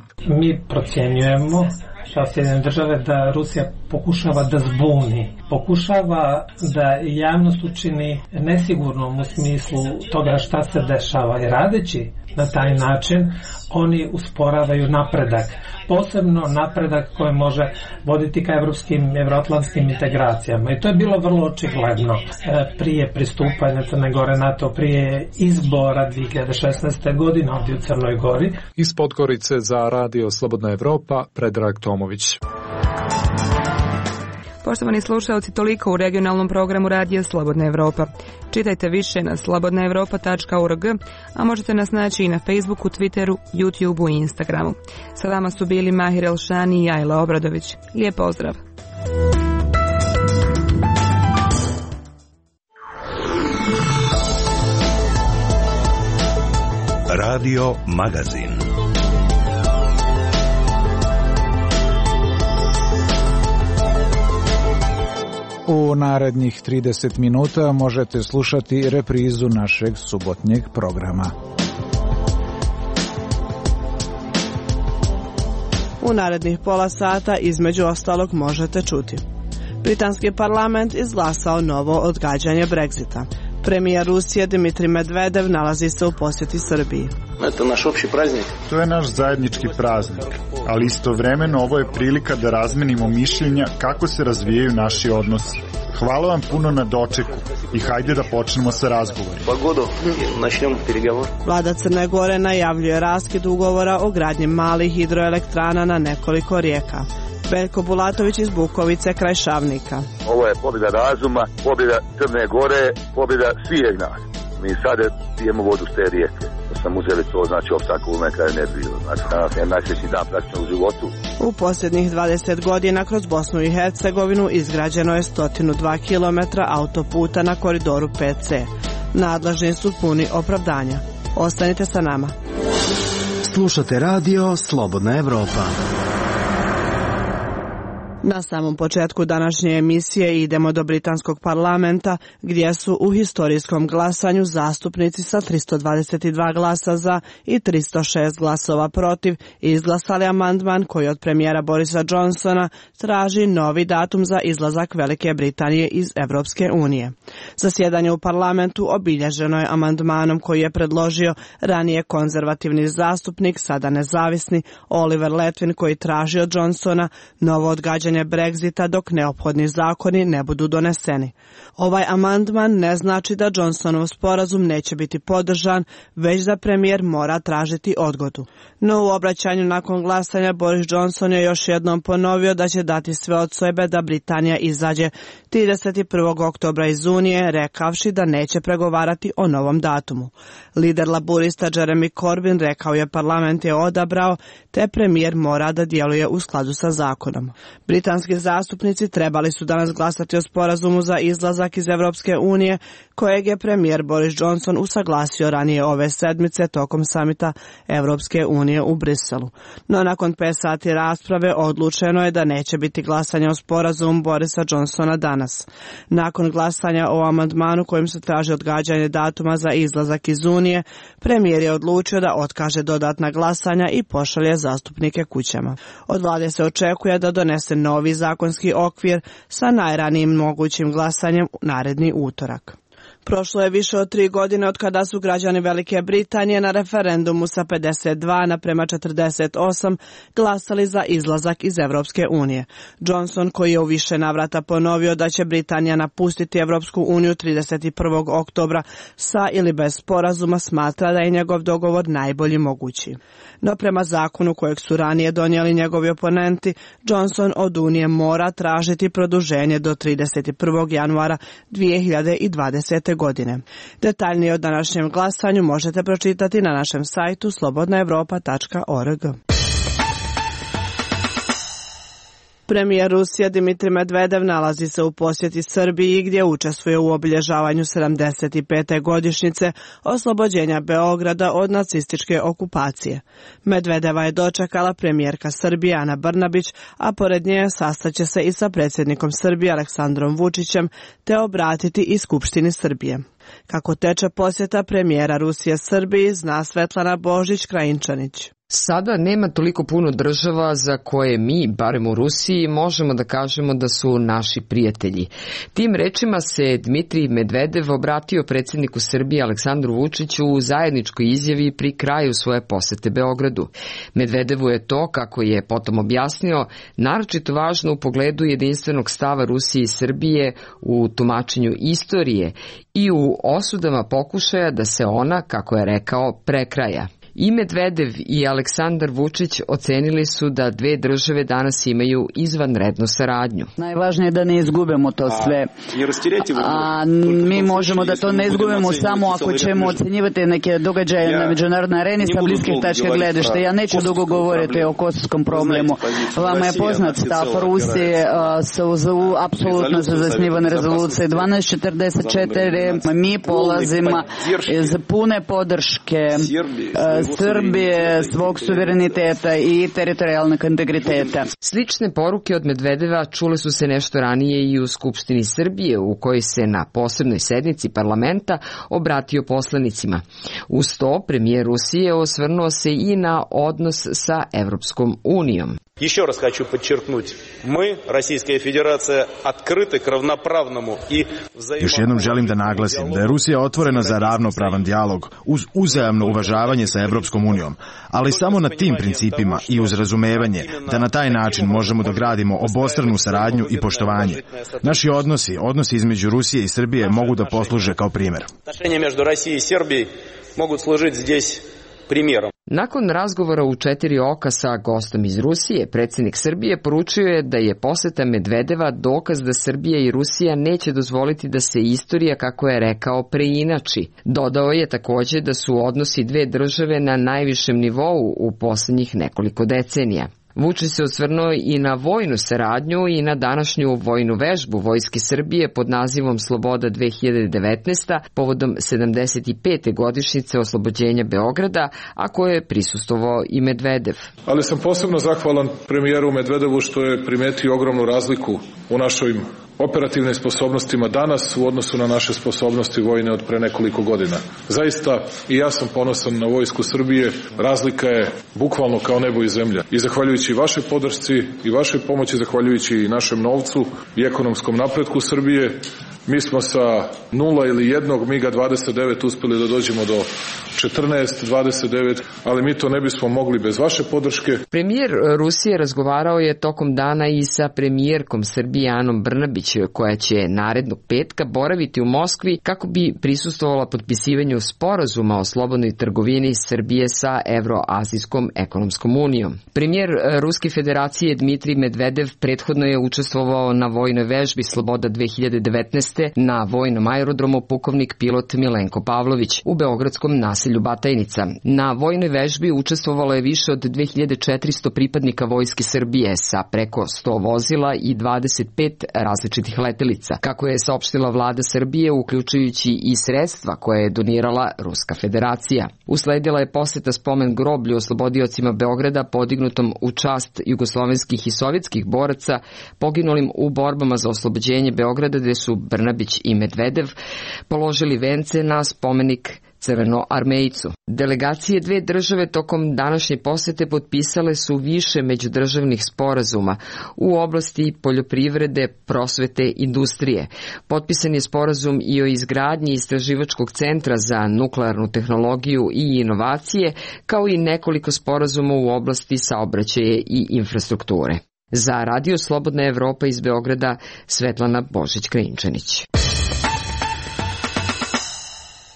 Speaker 24: Mi procjenjujemo
Speaker 8: kao Sjedinjene države da Rusija pokušava da zbuni, pokušava da javnost učini nesigurnom u smislu toga šta se dešava i radeći na taj način oni usporavaju napredak, posebno napredak koji može voditi ka evropskim, evroatlantskim integracijama. I to je bilo vrlo očigledno prije pristupanja Crne Gore NATO, prije izbora dvije hiljade šesnaeste. godine ovdje u Crnoj Gori.
Speaker 7: Iz Podgorice za Radio Slobodna Evropa, Predrag Tomović.
Speaker 1: Poštovani slušalci, toliko u regionalnom programu Radija Slobodna Evropa. Čitajte više na slobodna evropa tačka org, a možete nas naći i na Facebooku, Twitteru, YouTubeu i Instagramu. Sa vama su bili Mahir Elšani i Ajla Obradović. Lijep pozdrav!
Speaker 10: Radio Magazin.
Speaker 11: U narednih trideset minuta možete slušati reprizu našeg subotnjeg programa.
Speaker 24: U narednih pola sata između ostalog možete čuti. Britanski parlament izglasao novo odgađanje Brexita. Premijer Rusije Dimitrij Medvedev nalazi se u posjeti Srbiji.
Speaker 25: To je naš opći praznik.
Speaker 26: To je naš zajednički praznik, ali istovremeno ovo je prilika da razmenimo mišljenja kako se razvijaju naši odnosi. Hvala vam puno na dočeku i hajde da počnemo sa razgovorom.
Speaker 25: Pogodu, načnemo pregovor.
Speaker 24: Vlada Crne Gore najavljuje raskid ugovora o gradnji malih hidroelektrana na nekoliko rijeka. Veljko Bulatović iz Bukovice kraj Šavnika.
Speaker 27: Ovo je pobjeda razuma, pobjeda Crne Gore, pobjeda svih nas. Mi sada pijemo vodu s te rijeke. Da sam uzeli to, znači opstanku u neka energiju. Znači danas je najsvećniji dan praktično u životu.
Speaker 24: U posljednjih dvadeset godina kroz Bosnu i Hercegovinu izgrađeno je sto dva kilometra autoputa na koridoru pet ce. Nadležni su puni opravdanja. Ostanite sa nama.
Speaker 23: Slušate radio Slobodna Evropa.
Speaker 24: Na samom početku današnje emisije idemo do britanskog parlamenta gdje su u historijskom glasanju zastupnici sa tristo dvadeset dva glasa za i tristo šest glasova protiv izglasali amandman koji od premijera Borisa Johnsona traži novi datum za izlazak Velike Britanije iz Evropske unije. Zasjedanje u parlamentu obilježeno je amandmanom koji je predložio ranije konzervativni zastupnik, sada nezavisni Oliver Letwin, koji traži od Johnsona novo odgađanje Brexita dok neophodni zakoni ne budu doneseni. Ovaj amandman ne znači da Johnsonov sporazum neće biti podržan, već da premijer mora tražiti odgodu. No u obraćanju nakon glasanja Boris Johnson je još jednom ponovio da će dati sve od sebe da Britanija izađe trideset prvog oktobra iz Unije, rekavši da neće pregovarati o novom datumu. Lider laburista Jeremy Corbyn rekao je parlament je odabrao, te premijer mora da djeluje u skladu sa zakonom. Britanski zastupnici trebali su danas glasati o sporazumu za izlazak iz Evropske unije, kojeg je premijer Boris Johnson usaglasio ranije ove sedmice tokom samita Evropske unije u Briselu. No nakon pet sati rasprave odlučeno je da neće biti glasanja o sporazumu Borisa Johnsona danas. Nakon glasanja o amandmanu kojim se traži odgađanje datuma za izlazak iz Unije, premijer je odlučio da otkaže dodatna glasanja i pošalje zastupnike kućama. Od vlade se očekuje da donese novi zakonski okvir sa najranijim mogućim glasanjem naredni utorak. Prošlo je više od tri godine od kada su građani Velike Britanije na referendumu sa pedeset dva naprema četrdeset osam glasali za izlazak iz Evropske unije. Johnson, koji je u više navrata ponovio da će Britanija napustiti Evropsku uniju trideset prvog oktobra sa ili bez sporazuma, smatra da je njegov dogovor najbolji mogući. No prema zakonu kojeg su ranije donijeli njegovi oponenti, Johnson od Unije mora tražiti produženje do trideset prvog januara dvije hiljade dvadesete godine. Detaljnije o današnjem glasanju možete pročitati na našem sajtu slobodna evropa tačka org. Premijer Rusije Dimitrij Medvedev nalazi se u posjeti Srbiji gdje učestvuje u obilježavanju sedamdeset pete godišnjice oslobođenja Beograda od nacističke okupacije. Medvedeva je dočekala premijerka Srbije Ana Brnabić, a pored nje sastaće se i sa predsjednikom Srbije Aleksandrom Vučićem te obratiti i Skupštini Srbije. Kako teče posjeta premijera Rusije Srbiji, zna Svetlana Božić-Krajinčanić.
Speaker 3: Sada nema toliko puno država za koje mi, barem u Rusiji, možemo da kažemo da su naši prijatelji. Tim rečima se Dmitrij Medvedev obratio predsjedniku Srbije Aleksandru Vučiću u zajedničkoj izjavi pri kraju svoje posete Beogradu. Medvedevu je to, kako je potom objasnio, naročito važno u pogledu jedinstvenog stava Rusije i Srbije u tumačenju istorije i u osudama pokušaja da se ona, kako je rekao, prekraja. I Medvedev i Aleksandar Vučić ocenili su da dve države danas imaju izvanrednu saradnju.
Speaker 12: Najvažnije je da ne izgubimo to sve. A mi možemo da to ne izgubimo samo ako ćemo ocenjivati neke događaje na međunarodnoj areni sa bliskih tačka gledišta. Ja neću dugo govoriti o kosovskom problemu. Vama je poznat stav Rusije, su apsolutno se zasnivane rezolucije dvanaest četrdeset četiri. Mi polazimo iz pune podrške Srbije, svog suvereniteta i teritorijalnog integriteta.
Speaker 3: Slične poruke od Medvedeva čule su se nešto ranije i u Skupštini Srbije, u kojoj se na posebnoj sednici parlamenta obratio poslanicima. Uz to, premijer Rusije osvrnuo se i na odnos sa Evropskom unijom.
Speaker 25: Еще раз хочу подчеркнуть, мы, Российская Федерация, открыты к равноправному и взаимодействию.
Speaker 13: Još jednom želim da naglasim da je Rusija otvorena za ravnopravan dijalog uz uzajamno uvažavanje sa Evropskom unijom, ali samo na tim principima i uz razumevanje da na taj način možemo da gradimo obostranu saradnju i poštovanje. Naši odnosi, odnosi između Rusije i Srbije mogu da posluže kao primjer.
Speaker 25: Отношения между Россией и Сербией могут служить здесь примером.
Speaker 3: Nakon razgovora u četiri oka sa gostom iz Rusije, predsjednik Srbije poručio je da je poseta Medvedeva dokaz da Srbija i Rusija neće dozvoliti da se istorija, kako je rekao, preinači. Dodao je također da su odnosi dve države na najvišem nivou u posljednjih nekoliko decenija. Vučić se osvrnuo i na vojnu saradnju i na današnju vojnu vežbu Vojske Srbije pod nazivom Sloboda dve hiljade devetnaesta povodom sedamdeset pete godišnjice oslobođenja Beograda, a koje je prisustvovao i Medvedev.
Speaker 14: Ali sam posebno zahvalan premijeru Medvedevu što je primetio ogromnu razliku u našoj operativnim sposobnostima danas u odnosu na naše sposobnosti vojne od pre nekoliko godina. Zaista i ja sam ponosan na vojsku Srbije, razlika je bukvalno kao nebo i zemlja. I zahvaljujući vašoj podršci i vašoj pomoći, zahvaljujući i našem novcu i ekonomskom napretku Srbije, mi smo sa nula ili jednog miga dvadeset devet uspeli da dođemo do četrnaest, dvadeset devet, ali mi to ne bismo mogli bez vaše podrške.
Speaker 3: Premijer Rusije razgovarao je tokom dana i sa premijerkom Srbije Anom Brnabić, koja će narednog petka boraviti u Moskvi kako bi prisustvovala potpisivanju sporazuma o slobodnoj trgovini Srbije sa Evroazijskom ekonomskom unijom. Premijer Ruske federacije Dmitrij Medvedev prethodno je učestvovao na vojnoj vežbi Sloboda dve hiljade devetnaeste na vojnom aerodromu pukovnik pilot Milenko Pavlović u beogradskom naselju Batajnica. Na vojnoj vežbi učestvovalo je više od dve hiljade četiristo pripadnika Vojske Srbije sa preko sto vozila i dvadeset pet različitih letelica, kako je saopštila vlada Srbije, uključujući i sredstva koje je donirala Ruska federacija. Usledila je poseta spomen groblju oslobodiocima Beograda podignutom u čast jugoslovenskih i sovjetskih boraca poginulim u borbama za oslobođenje Beograda, gde su Brnabić i Medvedev položili vence na spomenik Crvenoarmejcu. Delegacije dve države tokom današnje posete potpisale su više međudržavnih sporazuma u oblasti poljoprivrede, prosvete, industrije. Potpisan je sporazum i o izgradnji istraživačkog centra za nuklearnu tehnologiju i inovacije, kao i nekoliko sporazuma u oblasti saobraćaja i infrastrukture. Za Radio Slobodna Evropa iz Beograda, Svetlana Božić-Krinčanić.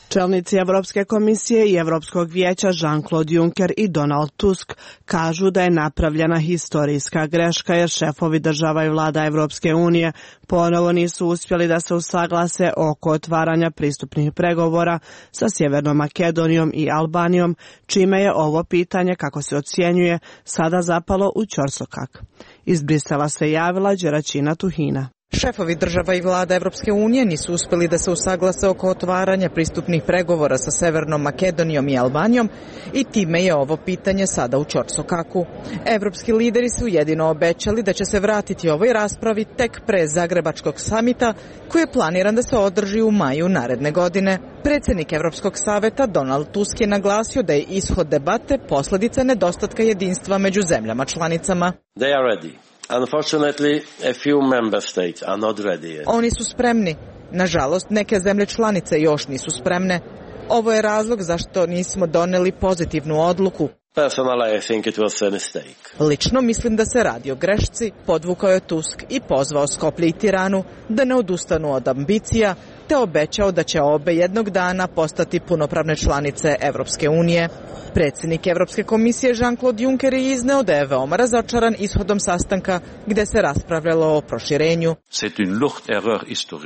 Speaker 24: Čelnici Evropske komisije i Evropskog vijeća Jean-Claude Juncker i Donald Tusk kažu da je napravljena historijska greška jer šefovi država i vlada Evropske unije ponovo nisu uspjeli da se usaglase oko otvaranja pristupnih pregovora sa Sjevernom Makedonijom i Albanijom, čime je ovo pitanje, kako se ocjenjuje, sada zapalo u ćorsokak. Iz Brisela se javila Đeračina Tuhina.
Speaker 4: Šefovi država i vlada Evropske unije nisu uspeli da se usaglase oko otvaranja pristupnih pregovora sa Severnom Makedonijom i Albanijom i time je ovo pitanje sada u ćorsokaku. Evropski lideri su jedino obećali da će se vratiti ovoj raspravi tek pre Zagrebačkog samita koji je planiran da se održi u maju naredne godine. Predsjednik Evropskog saveta Donald Tusk je naglasio da je ishod debate posljedica nedostatka jedinstva među zemljama članicama.
Speaker 6: They are ready. Unfortunately, a few member states are not ready yet.
Speaker 4: Oni su spremni. Nažalost, neke zemlje članice još nisu spremne. Ovo je razlog zašto nismo doneli pozitivnu odluku.
Speaker 6: Personally, I think it was a mistake.
Speaker 4: Lično mislim da se radi o grešci, podvukao je Tusk i pozvao Skoplje i Tiranu da ne odustanu od ambicija, te obećao da će obe jednog dana postati punopravne članice Evropske unije. Predsjednik Evropske komisije Jean-Claude Juncker je izneo da je veoma razočaran ishodom sastanka gde se raspravljalo o proširenju.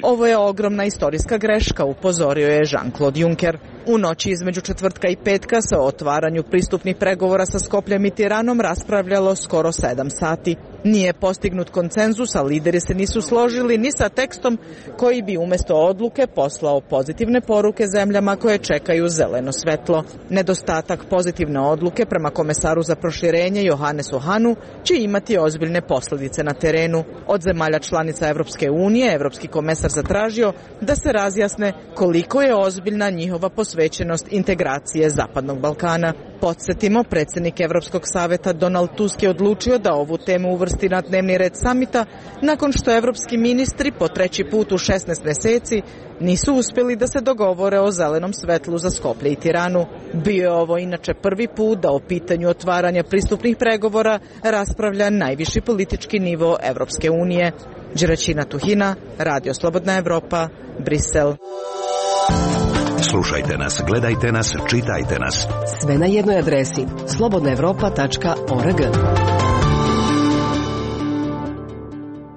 Speaker 4: Ovo je ogromna istorijska greška, upozorio je Jean-Claude Juncker. U noći između četvrtka i petka se o otvaranju pristupnih pregovora sa Skopljem i Tiranom raspravljalo skoro sedam sati. Nije postignut konsenzus, a lideri se nisu složili ni sa tekstom koji bi umjesto odluke poslao pozitivne poruke zemljama koje čekaju zeleno svetlo. Nedostatak pozitivne odluke prema komesaru za proširenje Johannesu Hahnu će imati ozbiljne posljedice na terenu. Od zemalja članica Evropske unije, Evropski komesar zatražio da se razjasne koliko je ozbiljna njihova posvećenost integracije Zapadnog Balkana. Podsjetimo, predsjednik Evropskog saveta Donald Tusk je odlučio da ovu temu uvrsti na dnevni red samita nakon što evropski ministri po treći put u šesnaest mjeseci nisu uspjeli da se dogovore o zelenom svetlu za Skoplje i Tiranu. Bio je ovo inače prvi put da o pitanju otvaranja pristupnih pregovora raspravlja najviši politički nivo Evropske unije. Đeračina Tuhina, Radio Slobodna Evropa, Brisel.
Speaker 10: Slušajte nas, gledajte nas, čitajte nas.
Speaker 15: Sve na jednoj adresi slobodna evropa tačka org.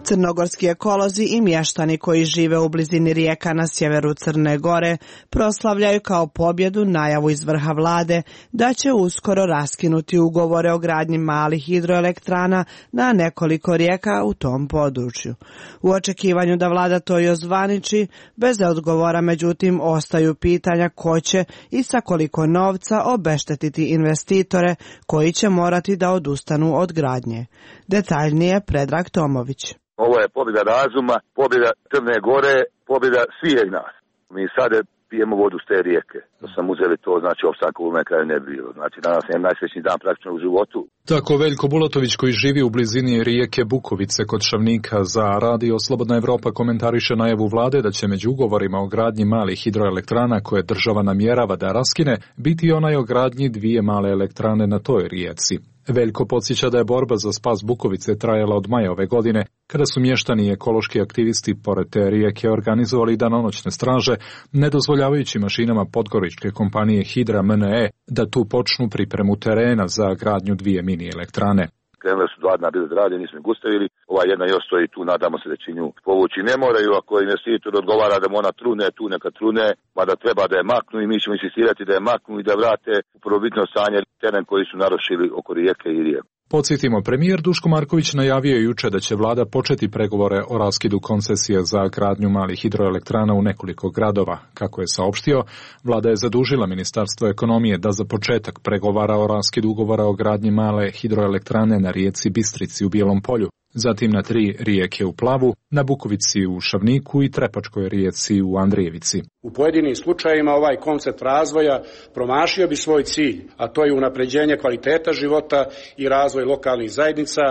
Speaker 24: Crnogorski ekolozi i mještani koji žive u blizini rijeka na sjeveru Crne Gore proslavljaju kao pobjedu najavu iz vrha vlade da će uskoro raskinuti ugovore o gradnji malih hidroelektrana na nekoliko rijeka u tom području. U očekivanju da vlada to i ozvaniči, bez odgovora međutim ostaju pitanja ko će i sa koliko novca obeštetiti investitore koji će morati da odustanu od gradnje. Detaljnije Predrag Tomović.
Speaker 27: Ovo je pobjeda razuma, pobjeda Crne Gore, pobjeda svih nas. Mi sad pijemo vodu s te rijeke. Da sam uzeli to, znači opstanka u kraju ne bilo. Znači danas je najsrećniji dan praktično u životu.
Speaker 7: Tako Veljko Bulatović koji živi u blizini rijeke Bukovice kod Šavnika za Radio Slobodna Evropa komentariše najavu vlade da će među ugovorima o gradnji malih hidroelektrana koje država namjerava da raskine biti onaj o gradnji dvije male elektrane na toj rijeci. Veljko podsjeća da je borba za spas Bukovice trajala od maja ove godine, kada su mještani i ekološki aktivisti pored te rijeke organizovali danonoćne straže, ne dozvoljavajući mašinama podgoričke kompanije Hidra M N E da tu počnu pripremu terena za gradnju dvije mini elektrane.
Speaker 27: Krenule su dva dna bez radnje, nismo ih gustavili. Ova jedna još stoji tu, nadamo se da će nju povući. Ne moraju, ako investitor odgovara da mu ona trune, tu neka trune, mada treba da je maknu i mi ćemo insistirati da je maknu i da vrate u prvobitno stanje teren koji su narušili oko rijeke i rijeke.
Speaker 7: Podsjetimo, premijer Duško Marković najavio juče da će vlada početi pregovore o raskidu koncesije za gradnju malih hidroelektrana u nekoliko gradova. Kako je saopštio, vlada je zadužila Ministarstvo ekonomije da za početak pregovara o raskidu ugovora o gradnji male hidroelektrane na rijeci Bistrici u Bijelom Polju, zatim na tri rijeke u Plavu, na Bukovici u Šavniku i Trepačkoj rijeci u Andrijevici.
Speaker 16: U pojedinim slučajevima ovaj koncept razvoja promašio bi svoj cilj, a to je unapređenje kvaliteta života i razvoj lokalnih zajednica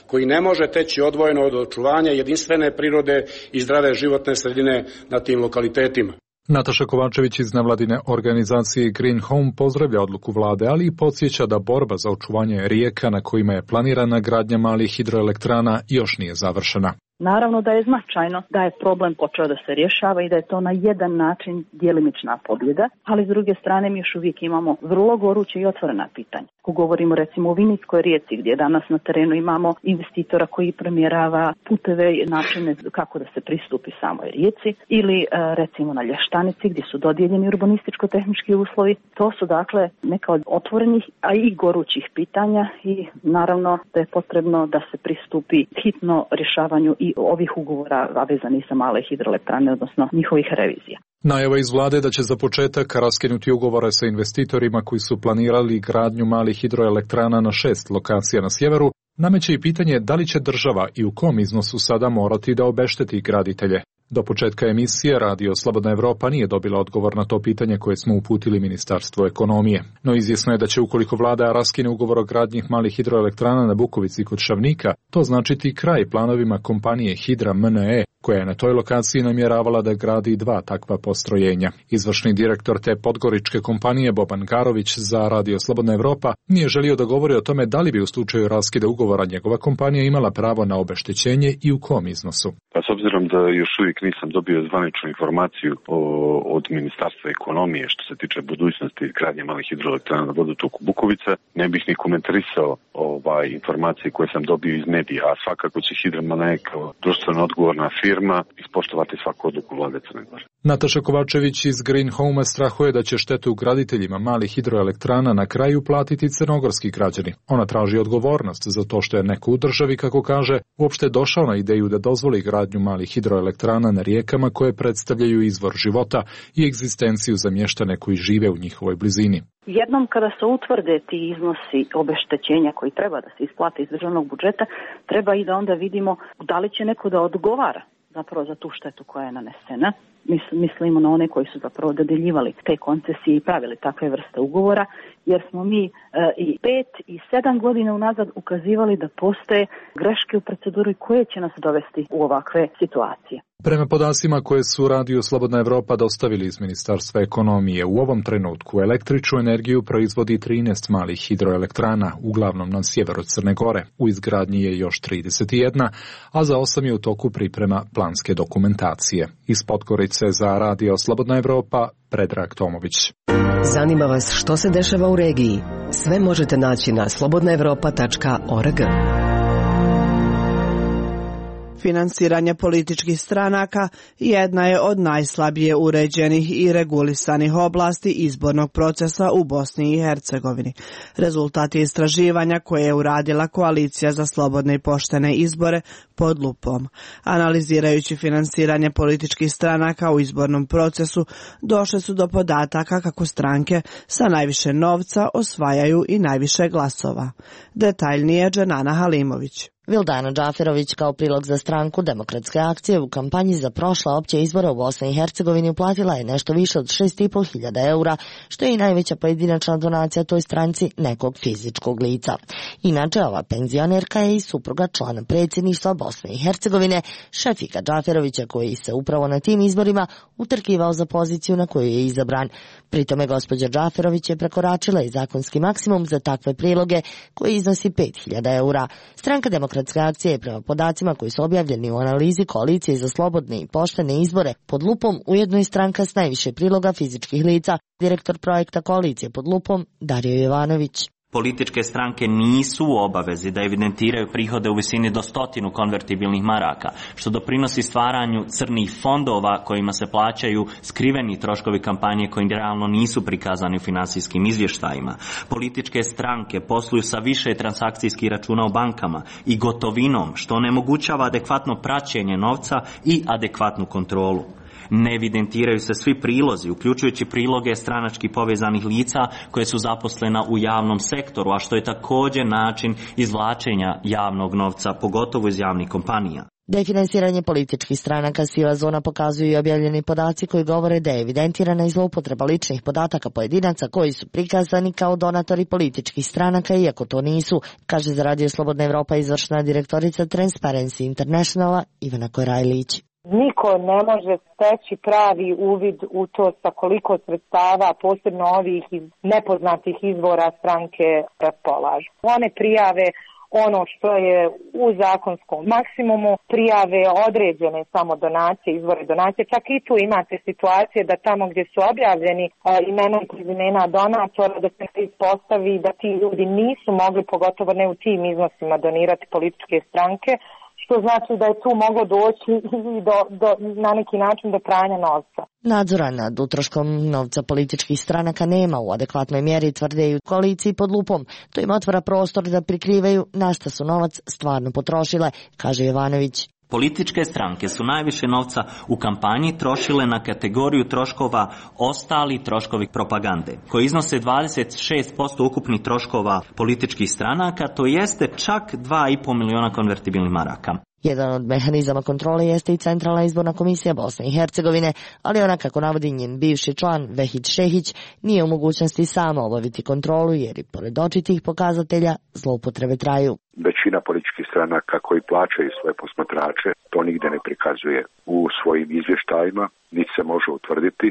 Speaker 16: koji ne može teći odvojeno od očuvanja jedinstvene prirode i zdrave životne sredine na tim lokalitetima.
Speaker 7: Nataša Kovačević iz nevladine organizacije Green Home pozdravlja odluku vlade, ali i podsjeća da borba za očuvanje rijeka na kojima je planirana gradnja malih hidroelektrana još nije završena.
Speaker 17: Naravno da je značajno da je problem počeo da se rješava i da je to na jedan način djelimična pobjeda, ali s druge strane mi još uvijek imamo vrlo goruće i otvorena pitanja. Ako govorimo recimo o Vinickoj rijeci gdje danas na terenu imamo investitora koji premjerava puteve i načine kako da se pristupi samoj rijeci ili recimo na Lještanici gdje su dodijeljeni urbanističko-tehnički uslovi, to su dakle neka od otvorenih, a i gorućih pitanja i naravno da je potrebno da se pristupi hitno rješavanju i i ovih ugovora, a vezani sa male hidroelektrane, odnosno njihovih revizija.
Speaker 7: Najava iz vlade da će za početak raskinuti ugovore sa investitorima koji su planirali gradnju malih hidroelektrana na šest lokacija na sjeveru, nameće i pitanje da li će država i u kom iznosu sada morati da obešteti graditelje. Do početka emisije Radio Slobodna Evropa nije dobila odgovor na to pitanje koje smo uputili Ministarstvu ekonomije. No izvjesno je da će ukoliko vlada raskine ugovor o gradnji malih hidroelektrana na Bukovici kod Šavnika, to značiti kraj planovima kompanije Hidra M N E, koja je na toj lokaciji namjeravala da gradi dva takva postrojenja. Izvršni direktor te podgoričke kompanije Boban Garović za Radio Slobodna Evropa nije želio da govori o tome da li bi u slučaju raskida ugovora njegova kompanija imala pravo na obeštećenje i u kom iznosu.
Speaker 2: Pa s obzirom da još uvijek nisam dobio zvaničnu informaciju o, od Ministarstva ekonomije što se tiče budućnosti gradnje malih hidroelektrana na vodotoku Bukovica, ne bih ni komentarisao ovaj informacije koje sam dobio iz medija, a svakako će Hidra M N E kao društveno odgovorna firma ispoštovati svaku odluku vlade Crne Gore.
Speaker 7: Nataša Kovačević iz Green Home strahuje da će štetu graditeljima malih hidroelektrana na kraju platiti crnogorski građani. Ona traži odgovornost za to što je neko u državi, kako kaže, uopšte došao na ideju da dozvoli gradnju malih hidroelektrana na rijekama koje predstavljaju izvor života i egzistenciju za mještane koji žive u njihovoj blizini.
Speaker 17: Jednom kada se utvrde ti iznosi obeštećenja koji treba da se isplate iz državnog budžeta, treba i da onda vidimo da li će neko da odgovara zapravo za tu štetu koja je nanesena. Mislimo na one koji su zapravo dodeljivali te koncesije i pravili takve vrste ugovora, jer smo mi e, i pet i sedam godina unazad ukazivali da postoje greške u proceduri koje će nas dovesti u ovakve situacije.
Speaker 7: Prema podacima koje su Radio Slobodna Evropa dostavili iz Ministarstva ekonomije, u ovom trenutku električnu energiju proizvodi trinaest malih hidroelektrana, uglavnom na sjeveru Crne Gore. U izgradnji je još trideset jedna, a za osam je u toku priprema planske dokumentacije. Iz Podgorice za Radio Slobodna Evropa, Predrag Tomović.
Speaker 15: Zanima vas što se dešava u regiji? Sve možete naći na slobodna evropa tačka org.
Speaker 24: Finansiranje političkih stranaka jedna je od najslabije uređenih i regulisanih oblasti izbornog procesa u Bosni i Hercegovini. Rezultati istraživanja koje je uradila Koalicija za slobodne i poštene izbore pod lupom. Analizirajući finansiranje političkih stranaka u izbornom procesu, došle su do podataka kako stranke sa najviše novca osvajaju i najviše glasova. Detaljnije Dženana Halimović.
Speaker 5: Vildana Džaferović kao prilog za stranku Demokratske akcije u kampanji za prošla opće izbore u Bosni i Hercegovini uplatila je nešto više od šest i po hiljada eura, što je i najveća pojedinačna donacija toj stranci nekog fizičkog lica. Inače, ova penzionerka je i supruga člana predsjedništva Bosne i Hercegovine, Šefika Džaferovića, koji se upravo na tim izborima utrkivao za poziciju na koju je izabran. Pritome gospođa Džaferović je prekoračila i zakonski maksimum za takve priloge koji iznosi pet hiljada eura. Stranka Demokratske akcije je prema podacima koji su objavljeni u analizi Koalicije za slobodne i poštene izbore pod lupom ujedno i stranka s najviše priloga fizičkih lica, direktor projekta Koalicije pod lupom Dario Jovanović.
Speaker 18: Političke stranke nisu u obavezi da evidentiraju prihode u visini do stotinu konvertibilnih maraka, što doprinosi stvaranju crnih fondova kojima se plaćaju skriveni troškovi kampanje koji realno nisu prikazani u finansijskim izvještajima. Političke stranke posluju sa više transakcijskih računa u bankama i gotovinom, što onemogućava adekvatno praćenje novca i adekvatnu kontrolu. Ne evidentiraju se svi prilozi, uključujući priloge stranački povezanih lica koje su zaposlena u javnom sektoru, a što je također način izvlačenja javnog novca, pogotovo iz javnih kompanija.
Speaker 5: Da je finansiranje političkih stranaka siva zona pokazuju i objavljeni podaci koji govore da je evidentirana i zloupotreba ličnih podataka pojedinaca koji su prikazani kao donatori političkih stranaka, iako to nisu, kaže za Radio Slobodna Evropa izvršna direktorica Transparency Internationala Ivana Korajlić.
Speaker 19: Niko ne može steći pravi uvid u to sa koliko sredstava, posebno ovih iz nepoznatih izvora stranke raspolažu. One prijave ono što je u zakonskom maksimumu, prijave određene samo donacije, izvore donacije. Čak i tu imate situacije da tamo gdje su objavljeni a, imena i prezimena donatora, da se ispostavi da ti ljudi nisu mogli, pogotovo ne u tim iznosima, donirati političke stranke, što znači da je tu moglo doći i do, do, na neki način do pranja novca.
Speaker 5: Nadzora nad utroškom novca političkih stranaka nema u adekvatnoj mjeri, tvrde i u koaliciji pod lupom. To im otvara prostor da prikrivaju na šta su novac stvarno potrošile, kaže Jovanović.
Speaker 18: Političke stranke su najviše novca u kampanji trošile na kategoriju troškova ostali troškovi propagande, koji iznose dvadeset šest posto ukupnih troškova političkih stranaka, to jeste čak dva i po miliona konvertibilnih maraka.
Speaker 5: Jedan od mehanizama kontrole jeste i Centralna izborna komisija Bosne i Hercegovine, ali ona, kako navodi njen bivši član Vehid Šehić, nije u mogućnosti sama obaviti kontrolu jer i pored očitih pokazatelja zloupotrebe traju.
Speaker 27: Većina političkih stranaka koji plaćaju svoje posmatrače to nigde ne prikazuje u svojim izvještajima, niti se može utvrditi,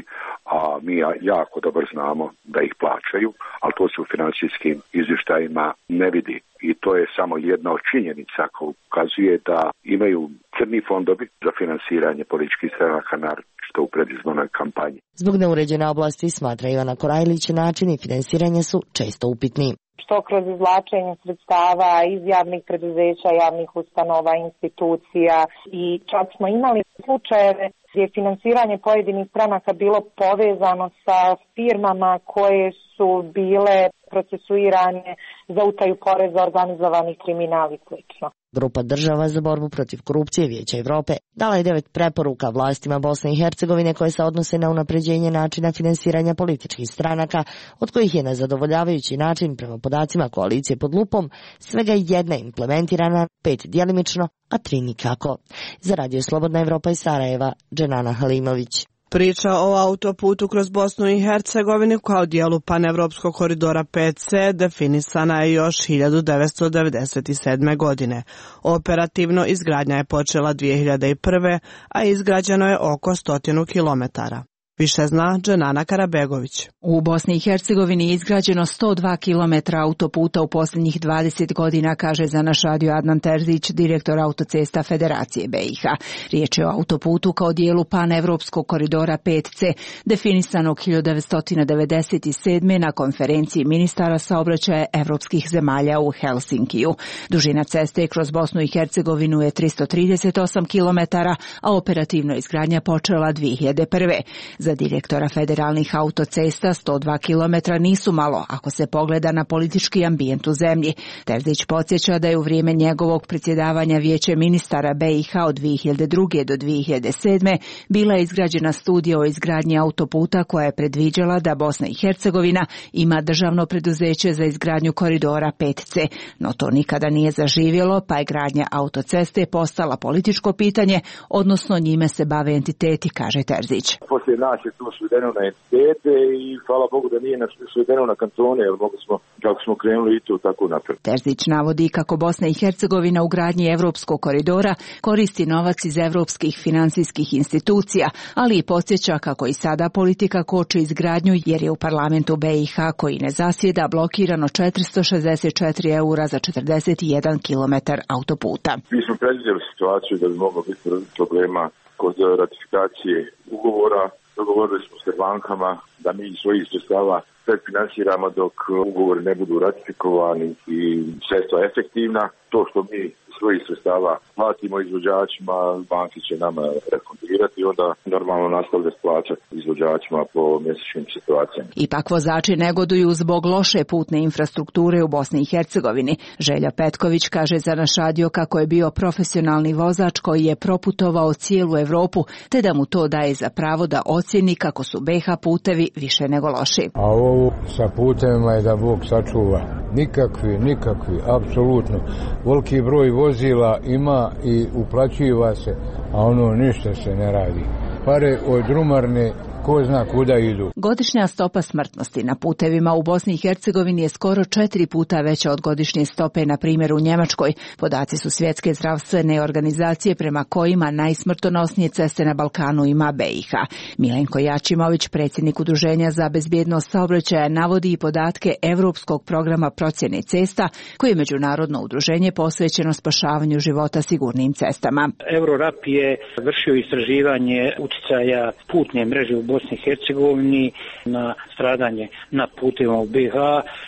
Speaker 27: a mi jako dobro znamo da ih plaćaju, ali to se u financijskim izvještajima ne vidi. I to je samo jedna od činjenica koja ukazuje da imaju crni fondovi za finansiranje političkih stranaka, naročito u predizbornoj kampanji.
Speaker 5: Zbog neuređene oblasti, smatra Ivana Korajlić, načini finansiranja su često upitni.
Speaker 19: Što kroz izvlačenje sredstava iz javnih preduzeća, javnih ustanova, institucija, i čak smo imali slučajeve gdje je finansiranje pojedinih stranaka bilo povezano sa firmama koje su bile procesuirane za utaju poreza, organizovanih kriminal i slično.
Speaker 5: Grupa država za borbu protiv korupcije Vijeća Evrope dala je devet preporuka vlastima Bosne i Hercegovine koje se odnose na unapređenje načina finansiranja političkih stranaka, od kojih je na zadovoljavajući način, prema podacima koalicije pod lupom, svega jedna implementirana, pet djelimično, a tri nikako. Za Radio Slobodna Evropa iz Sarajeva, Dženana Halimović.
Speaker 24: Priča o autoputu kroz Bosnu i Hercegovinu kao dijelu panevropskog koridora pet ce definisana je još hiljadu devetsto devedeset sedme. godine. Operativno izgradnja je počela dvije hiljade prve. a izgrađeno je oko stotinu kilometara. Više zna Dženana Karabegović.
Speaker 1: U Bosni i Hercegovini je izgrađeno sto dva kilometra autoputa u posljednjih dvadeset godina, kaže za naš radio Adnan Terzić, direktor autocesta Federacije be i ha. Riječ je o autoputu kao dijelu panevropskog koridora pet ce, definisanog hiljadu devetsto devedeset sedme. na konferenciji ministara saobraćaja evropskih zemalja u Helsinkiju. Dužina ceste kroz Bosnu i Hercegovinu je tristo trideset osam kilometara, a operativno izgradnja počela dvije hiljade prve. Za direktora federalnih autocesta sto dva kilometra nisu malo ako se pogleda na politički ambijent u zemlji. Terzić podsjeća da je u vrijeme njegovog predsjedavanja Vijeće ministara be i ha od dvije hiljade druge. do dvije hiljade sedme. bila je izgrađena studija o izgradnji autoputa koja je predviđala da Bosna i Hercegovina ima državno preduzeće za izgradnju koridora pet ce, no to nikada nije zaživjelo, pa je gradnja autoceste postala političko pitanje, odnosno njime se bave entiteti, kaže Terzić.
Speaker 27: Poslije nas je to svedeno na entitete i hvala Bogu da nije svedeno na kantone, jer mogli smo, kako smo krenuli i to tako napred.
Speaker 1: Terzić navodi kako Bosna i Hercegovina u gradnji evropskog koridora koristi novac iz evropskih finansijskih institucija, ali i podsjeća kako i sada politika koči izgradnju jer je u parlamentu be i ha, koji ne zasjeda, blokirano četiristo šezdeset četiri eura za četrdeset jedan kilometar autoputa.
Speaker 27: Mi smo predvidjeli situaciju da bi moglo biti problema kod ratifikacije ugovora. Dogovorili smo se bankama da mi svojih sredstava predfinansiramo dok ugovori ne budu ratifikovani i sredstva efektivna. To što mi svojih sredstava platimo izvođačima, banki će nama refundirati i onda normalno nastavlja plaćati izvođačima po mjesečnim situacijama.
Speaker 1: Ipak vozači negoduju zbog loše putne infrastrukture u Bosni i Hercegovini. Želja Petković kaže za naš radio kako je bio profesionalni vozač koji je proputovao cijelu Evropu, te da mu to daje za pravo da ocjeni kako su be ha putevi više nego loši.
Speaker 8: A ovo sa putevima je da Bog sačuva. Nikakvi, nikakvi, apsolutno. Veliki broj vozila ima i uplaćiva se, a ono ništa se ne radi. Pare od drumarne ko zna kuda idu.
Speaker 1: Godišnja stopa smrtnosti na putevima u Bosni i Hercegovini je skoro četiri puta veća od godišnje stope, na primjer, u Njemačkoj. Podaci su Svjetske zdravstvene organizacije prema kojima najsmrtonosnije ceste na Balkanu ima be i ha. Milenko Jačimović, predsjednik Udruženja za bezbjednost saobraćaja, navodi i podatke Evropskog programa procjene cesta, koji je međunarodno udruženje posvećeno spašavanju života sigurnim cestama.
Speaker 9: Eurorap je vršio istraživanje uticaja putne mreže u Bosni i Hercegovini, na stradanje na putevima u B IH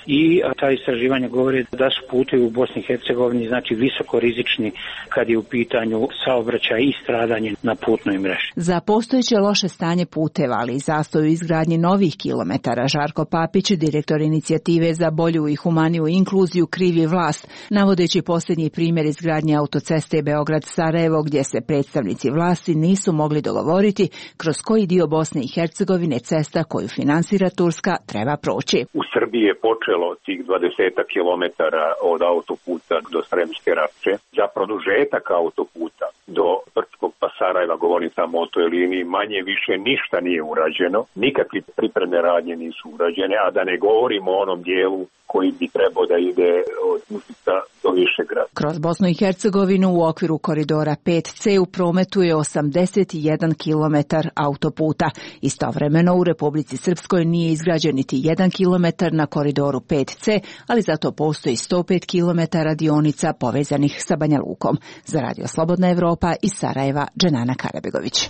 Speaker 9: i ta istraživanja govore da su putevi u Bosni i Hercegovini znači visoko rizični kad je u pitanju saobraćaj i stradanje na putnoj mreži.
Speaker 1: Za postojeće loše stanje puteva, ali i zastoj u izgradnji novih kilometara, Žarko Papić, direktor inicijative za bolju i humaniju inkluziju, krivi vlast, navodeći posljednji primjer izgradnje autoceste Beograd-Sarajevo, gdje se predstavnici vlasti nisu mogli dogovoriti kroz koji dio Bosne i Hercegovine cesta koju finansira Turska treba proći.
Speaker 11: U Srbiji je počelo tih dvadeset kilometara od autoputa do Sremske Rače. Za produžetak autoputa do Brčkog pa Sarajeva, govorim samo o toj liniji, manje više ništa nije urađeno, nikakve pripremne radnje nisu urađene, a da ne govorimo o onom dijelu koji bi trebao da ide od Užica do Višegrada.
Speaker 1: Kroz Bosnu i Hercegovinu u okviru koridora pet ce u prometu je osamdeset jedan kilometar autoputa. Istovremeno u Republici Srpskoj nije izgrađen niti jedan kilometar na koridoru pet ce, ali zato postoji sto pet kilometara dionica povezanih sa Banja Lukom. Za Radio Slobodna Evropa iz Sarajeva, Dženana Karabegović.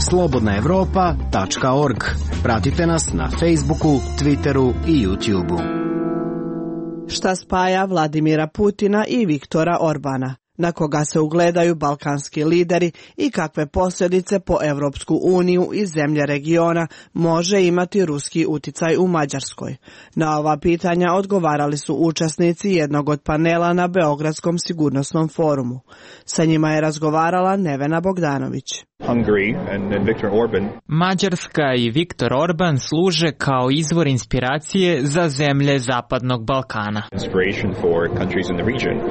Speaker 20: slobodna evropa tačka org. Pratite nas na Facebooku, Twitteru i YouTubeu.
Speaker 24: Šta spaja Vladimira Putina i Viktora Orbana? Na koga se ugledaju balkanski lideri i kakve posljedice po Evropsku uniju i zemlje regiona može imati ruski uticaj u Mađarskoj? Na ova pitanja odgovarali su učesnici jednog od panela na Beogradskom sigurnosnom forumu. Sa njima je razgovarala Nevena Bogdanović.
Speaker 21: Mađarska i Viktor Orban služe kao izvor inspiracije za zemlje Zapadnog Balkana.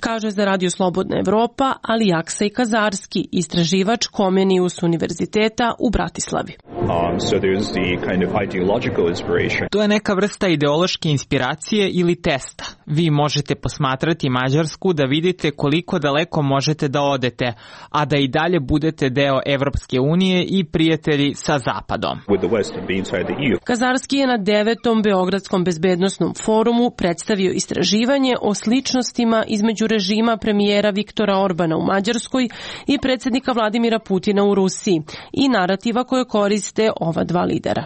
Speaker 22: Kaže za Radio Slobodna Evropa, ali Aksej Kazarski, istraživač Komenius univerziteta u Bratislavi.
Speaker 21: Um, so there's the kind of ideological inspiration. To je neka vrsta ideološke inspiracije ili testa. Vi možete posmatrati Mađarsku da vidite koliko daleko možete da odete, a da i dalje budete deo Evropske unije i prijatelji sa Zapadom.
Speaker 22: Kazarski je na devetom Beogradskom bezbednosnom forumu predstavio istraživanje o sličnostima između režima premijera Viktora Orbana u Mađarskoj i predsjednika Vladimira Putina u Rusiji i narativa koje koriste ova dva lidera.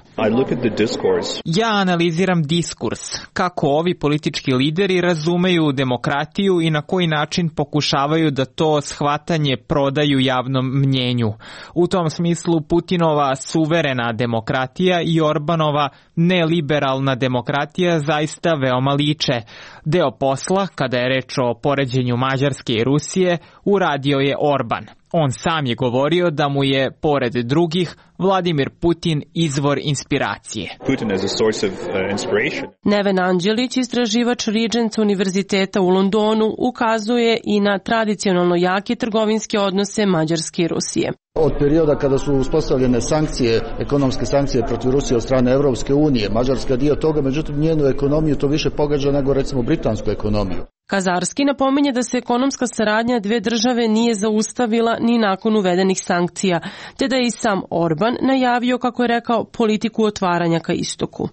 Speaker 21: Ja analiziram diskurs, kako ovi politički lideri razumeju demokratiju i na koji način pokušavaju da to shvatanje prodaju javnom mnjenju. U tom smislu Putinova suverena demokratija i Orbanova neliberalna demokratija zaista veoma liče. Deo posla, kada je reč o poređenju Mađarske i Rusije, uradio je Orban. On sam je govorio da mu je, pored drugih, Vladimir Putin izvor inspiracije.
Speaker 22: Putin as a source of, uh, inspiration. Neven Anđelić, istraživač Regents univerziteta u Londonu, ukazuje i na tradicionalno jake trgovinske odnose Mađarske i Rusije.
Speaker 23: Od perioda kada su uspostavljene sankcije, ekonomske sankcije protiv Rusije od strane Evropske unije, Mađarska je dio toga, međutim njenu ekonomiju to više pogađa nego recimo britansku ekonomiju.
Speaker 22: Kazarski napominje da se ekonomska saradnja dve države nije zaustavila ni nakon uvedenih sankcija, te da je i sam Orban najavio, kako je rekao, politiku otvaranja ka istoku.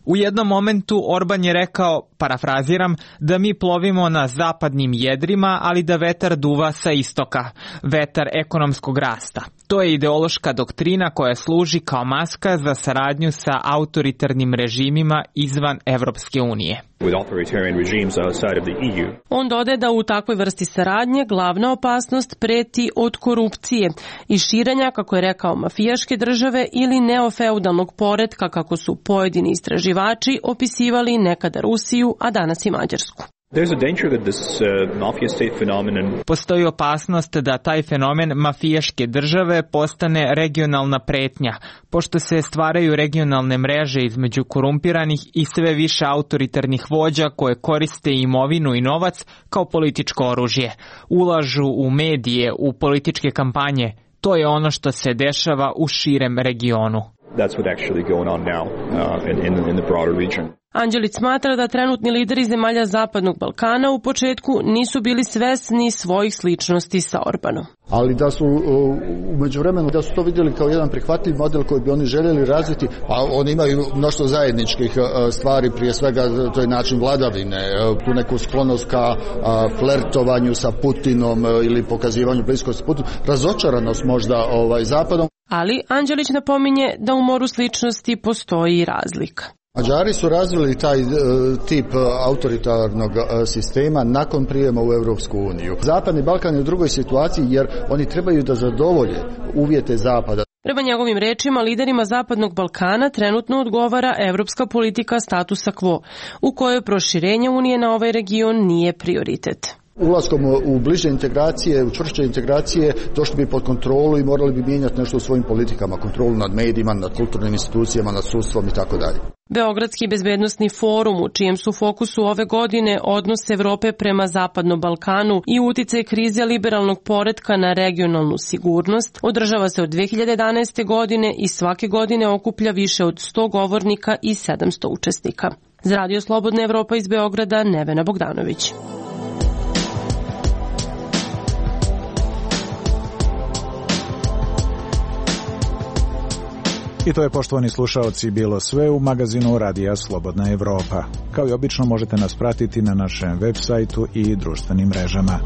Speaker 21: U jednom momentu Orban je rekao, parafraziram, da mi plovimo na zapadnim jedrima, ali da vetar duva sa istoka, vetar ekonomskog rasta. To je ideološka doktrina koja služi kao maska za saradnju sa autoritarnim režimima izvan Evropske unije.
Speaker 22: On dodaje da u takvoj vrsti saradnje glavna opasnost preti od korupcije i širenja, kako je rekao, mafijaške države ili neofeudalnog poretka, kako su pojedini istraživači opisivali nekada Rusiju, a danas i Mađarsku.
Speaker 21: Postoji opasnost da taj fenomen mafijaške države postane regionalna pretnja, pošto se stvaraju regionalne mreže između korumpiranih i sve više autoritarnih vođa koje koriste imovinu i novac kao političko oružje. Ulažu u medije, u političke kampanje. To je ono što se dešava u širem regionu.
Speaker 22: That's what actually going on now uh, in, in, in the broader region. Anđelić smatra da trenutni lideri zemalja Zapadnog Balkana u početku nisu bili svesni svojih sličnosti sa Orbanom.
Speaker 23: Ali da su u međuvremenu da su to vidjeli kao jedan prihvatljiv model koji bi oni željeli razviti, a oni imaju mnoštvo zajedničkih stvari, prije svega to je način vladavine, tu neku sklonost ka flertovanju sa Putinom ili pokazivanju bliskosti Putinu, razočaranost možda ovaj, Zapadom.
Speaker 22: Ali Anđelić napominje da u moru sličnosti postoji i razlika.
Speaker 23: Mađari su razvili taj e, tip autoritarnog e, sistema nakon prijema u Europsku uniju. Zapadni Balkan je u drugoj situaciji jer oni trebaju da zadovolje uvjete Zapada.
Speaker 22: Prema njegovim rečima, liderima Zapadnog Balkana trenutno odgovara evropska politika statusa quo, u kojoj proširenje Unije na ovaj region nije prioritet.
Speaker 23: Ulaskom u bliže integracije, u čvršće integracije, došli bi pod kontrolu i morali bi mijenjati nešto u svojim politikama, kontrolu nad medijima, nad kulturnim institucijama, nad sudstvom i tako dalje.
Speaker 22: Beogradski bezbednosni forum, u čijem su fokusu ove godine odnos Evrope prema Zapadnom Balkanu i uticaj krize liberalnog poretka na regionalnu sigurnost, održava se od dve hiljade jedanaeste. godine i svake godine okuplja više od sto govornika i sedamsto učesnika. Za Radio Slobodna Evropa iz Beograda, Nevena Bogdanović.
Speaker 3: I to je, poštovani slušaoci, bilo sve u magazinu Radija Slobodna Evropa. Kao i obično možete nas pratiti na našem web sajtu i društvenim mrežama.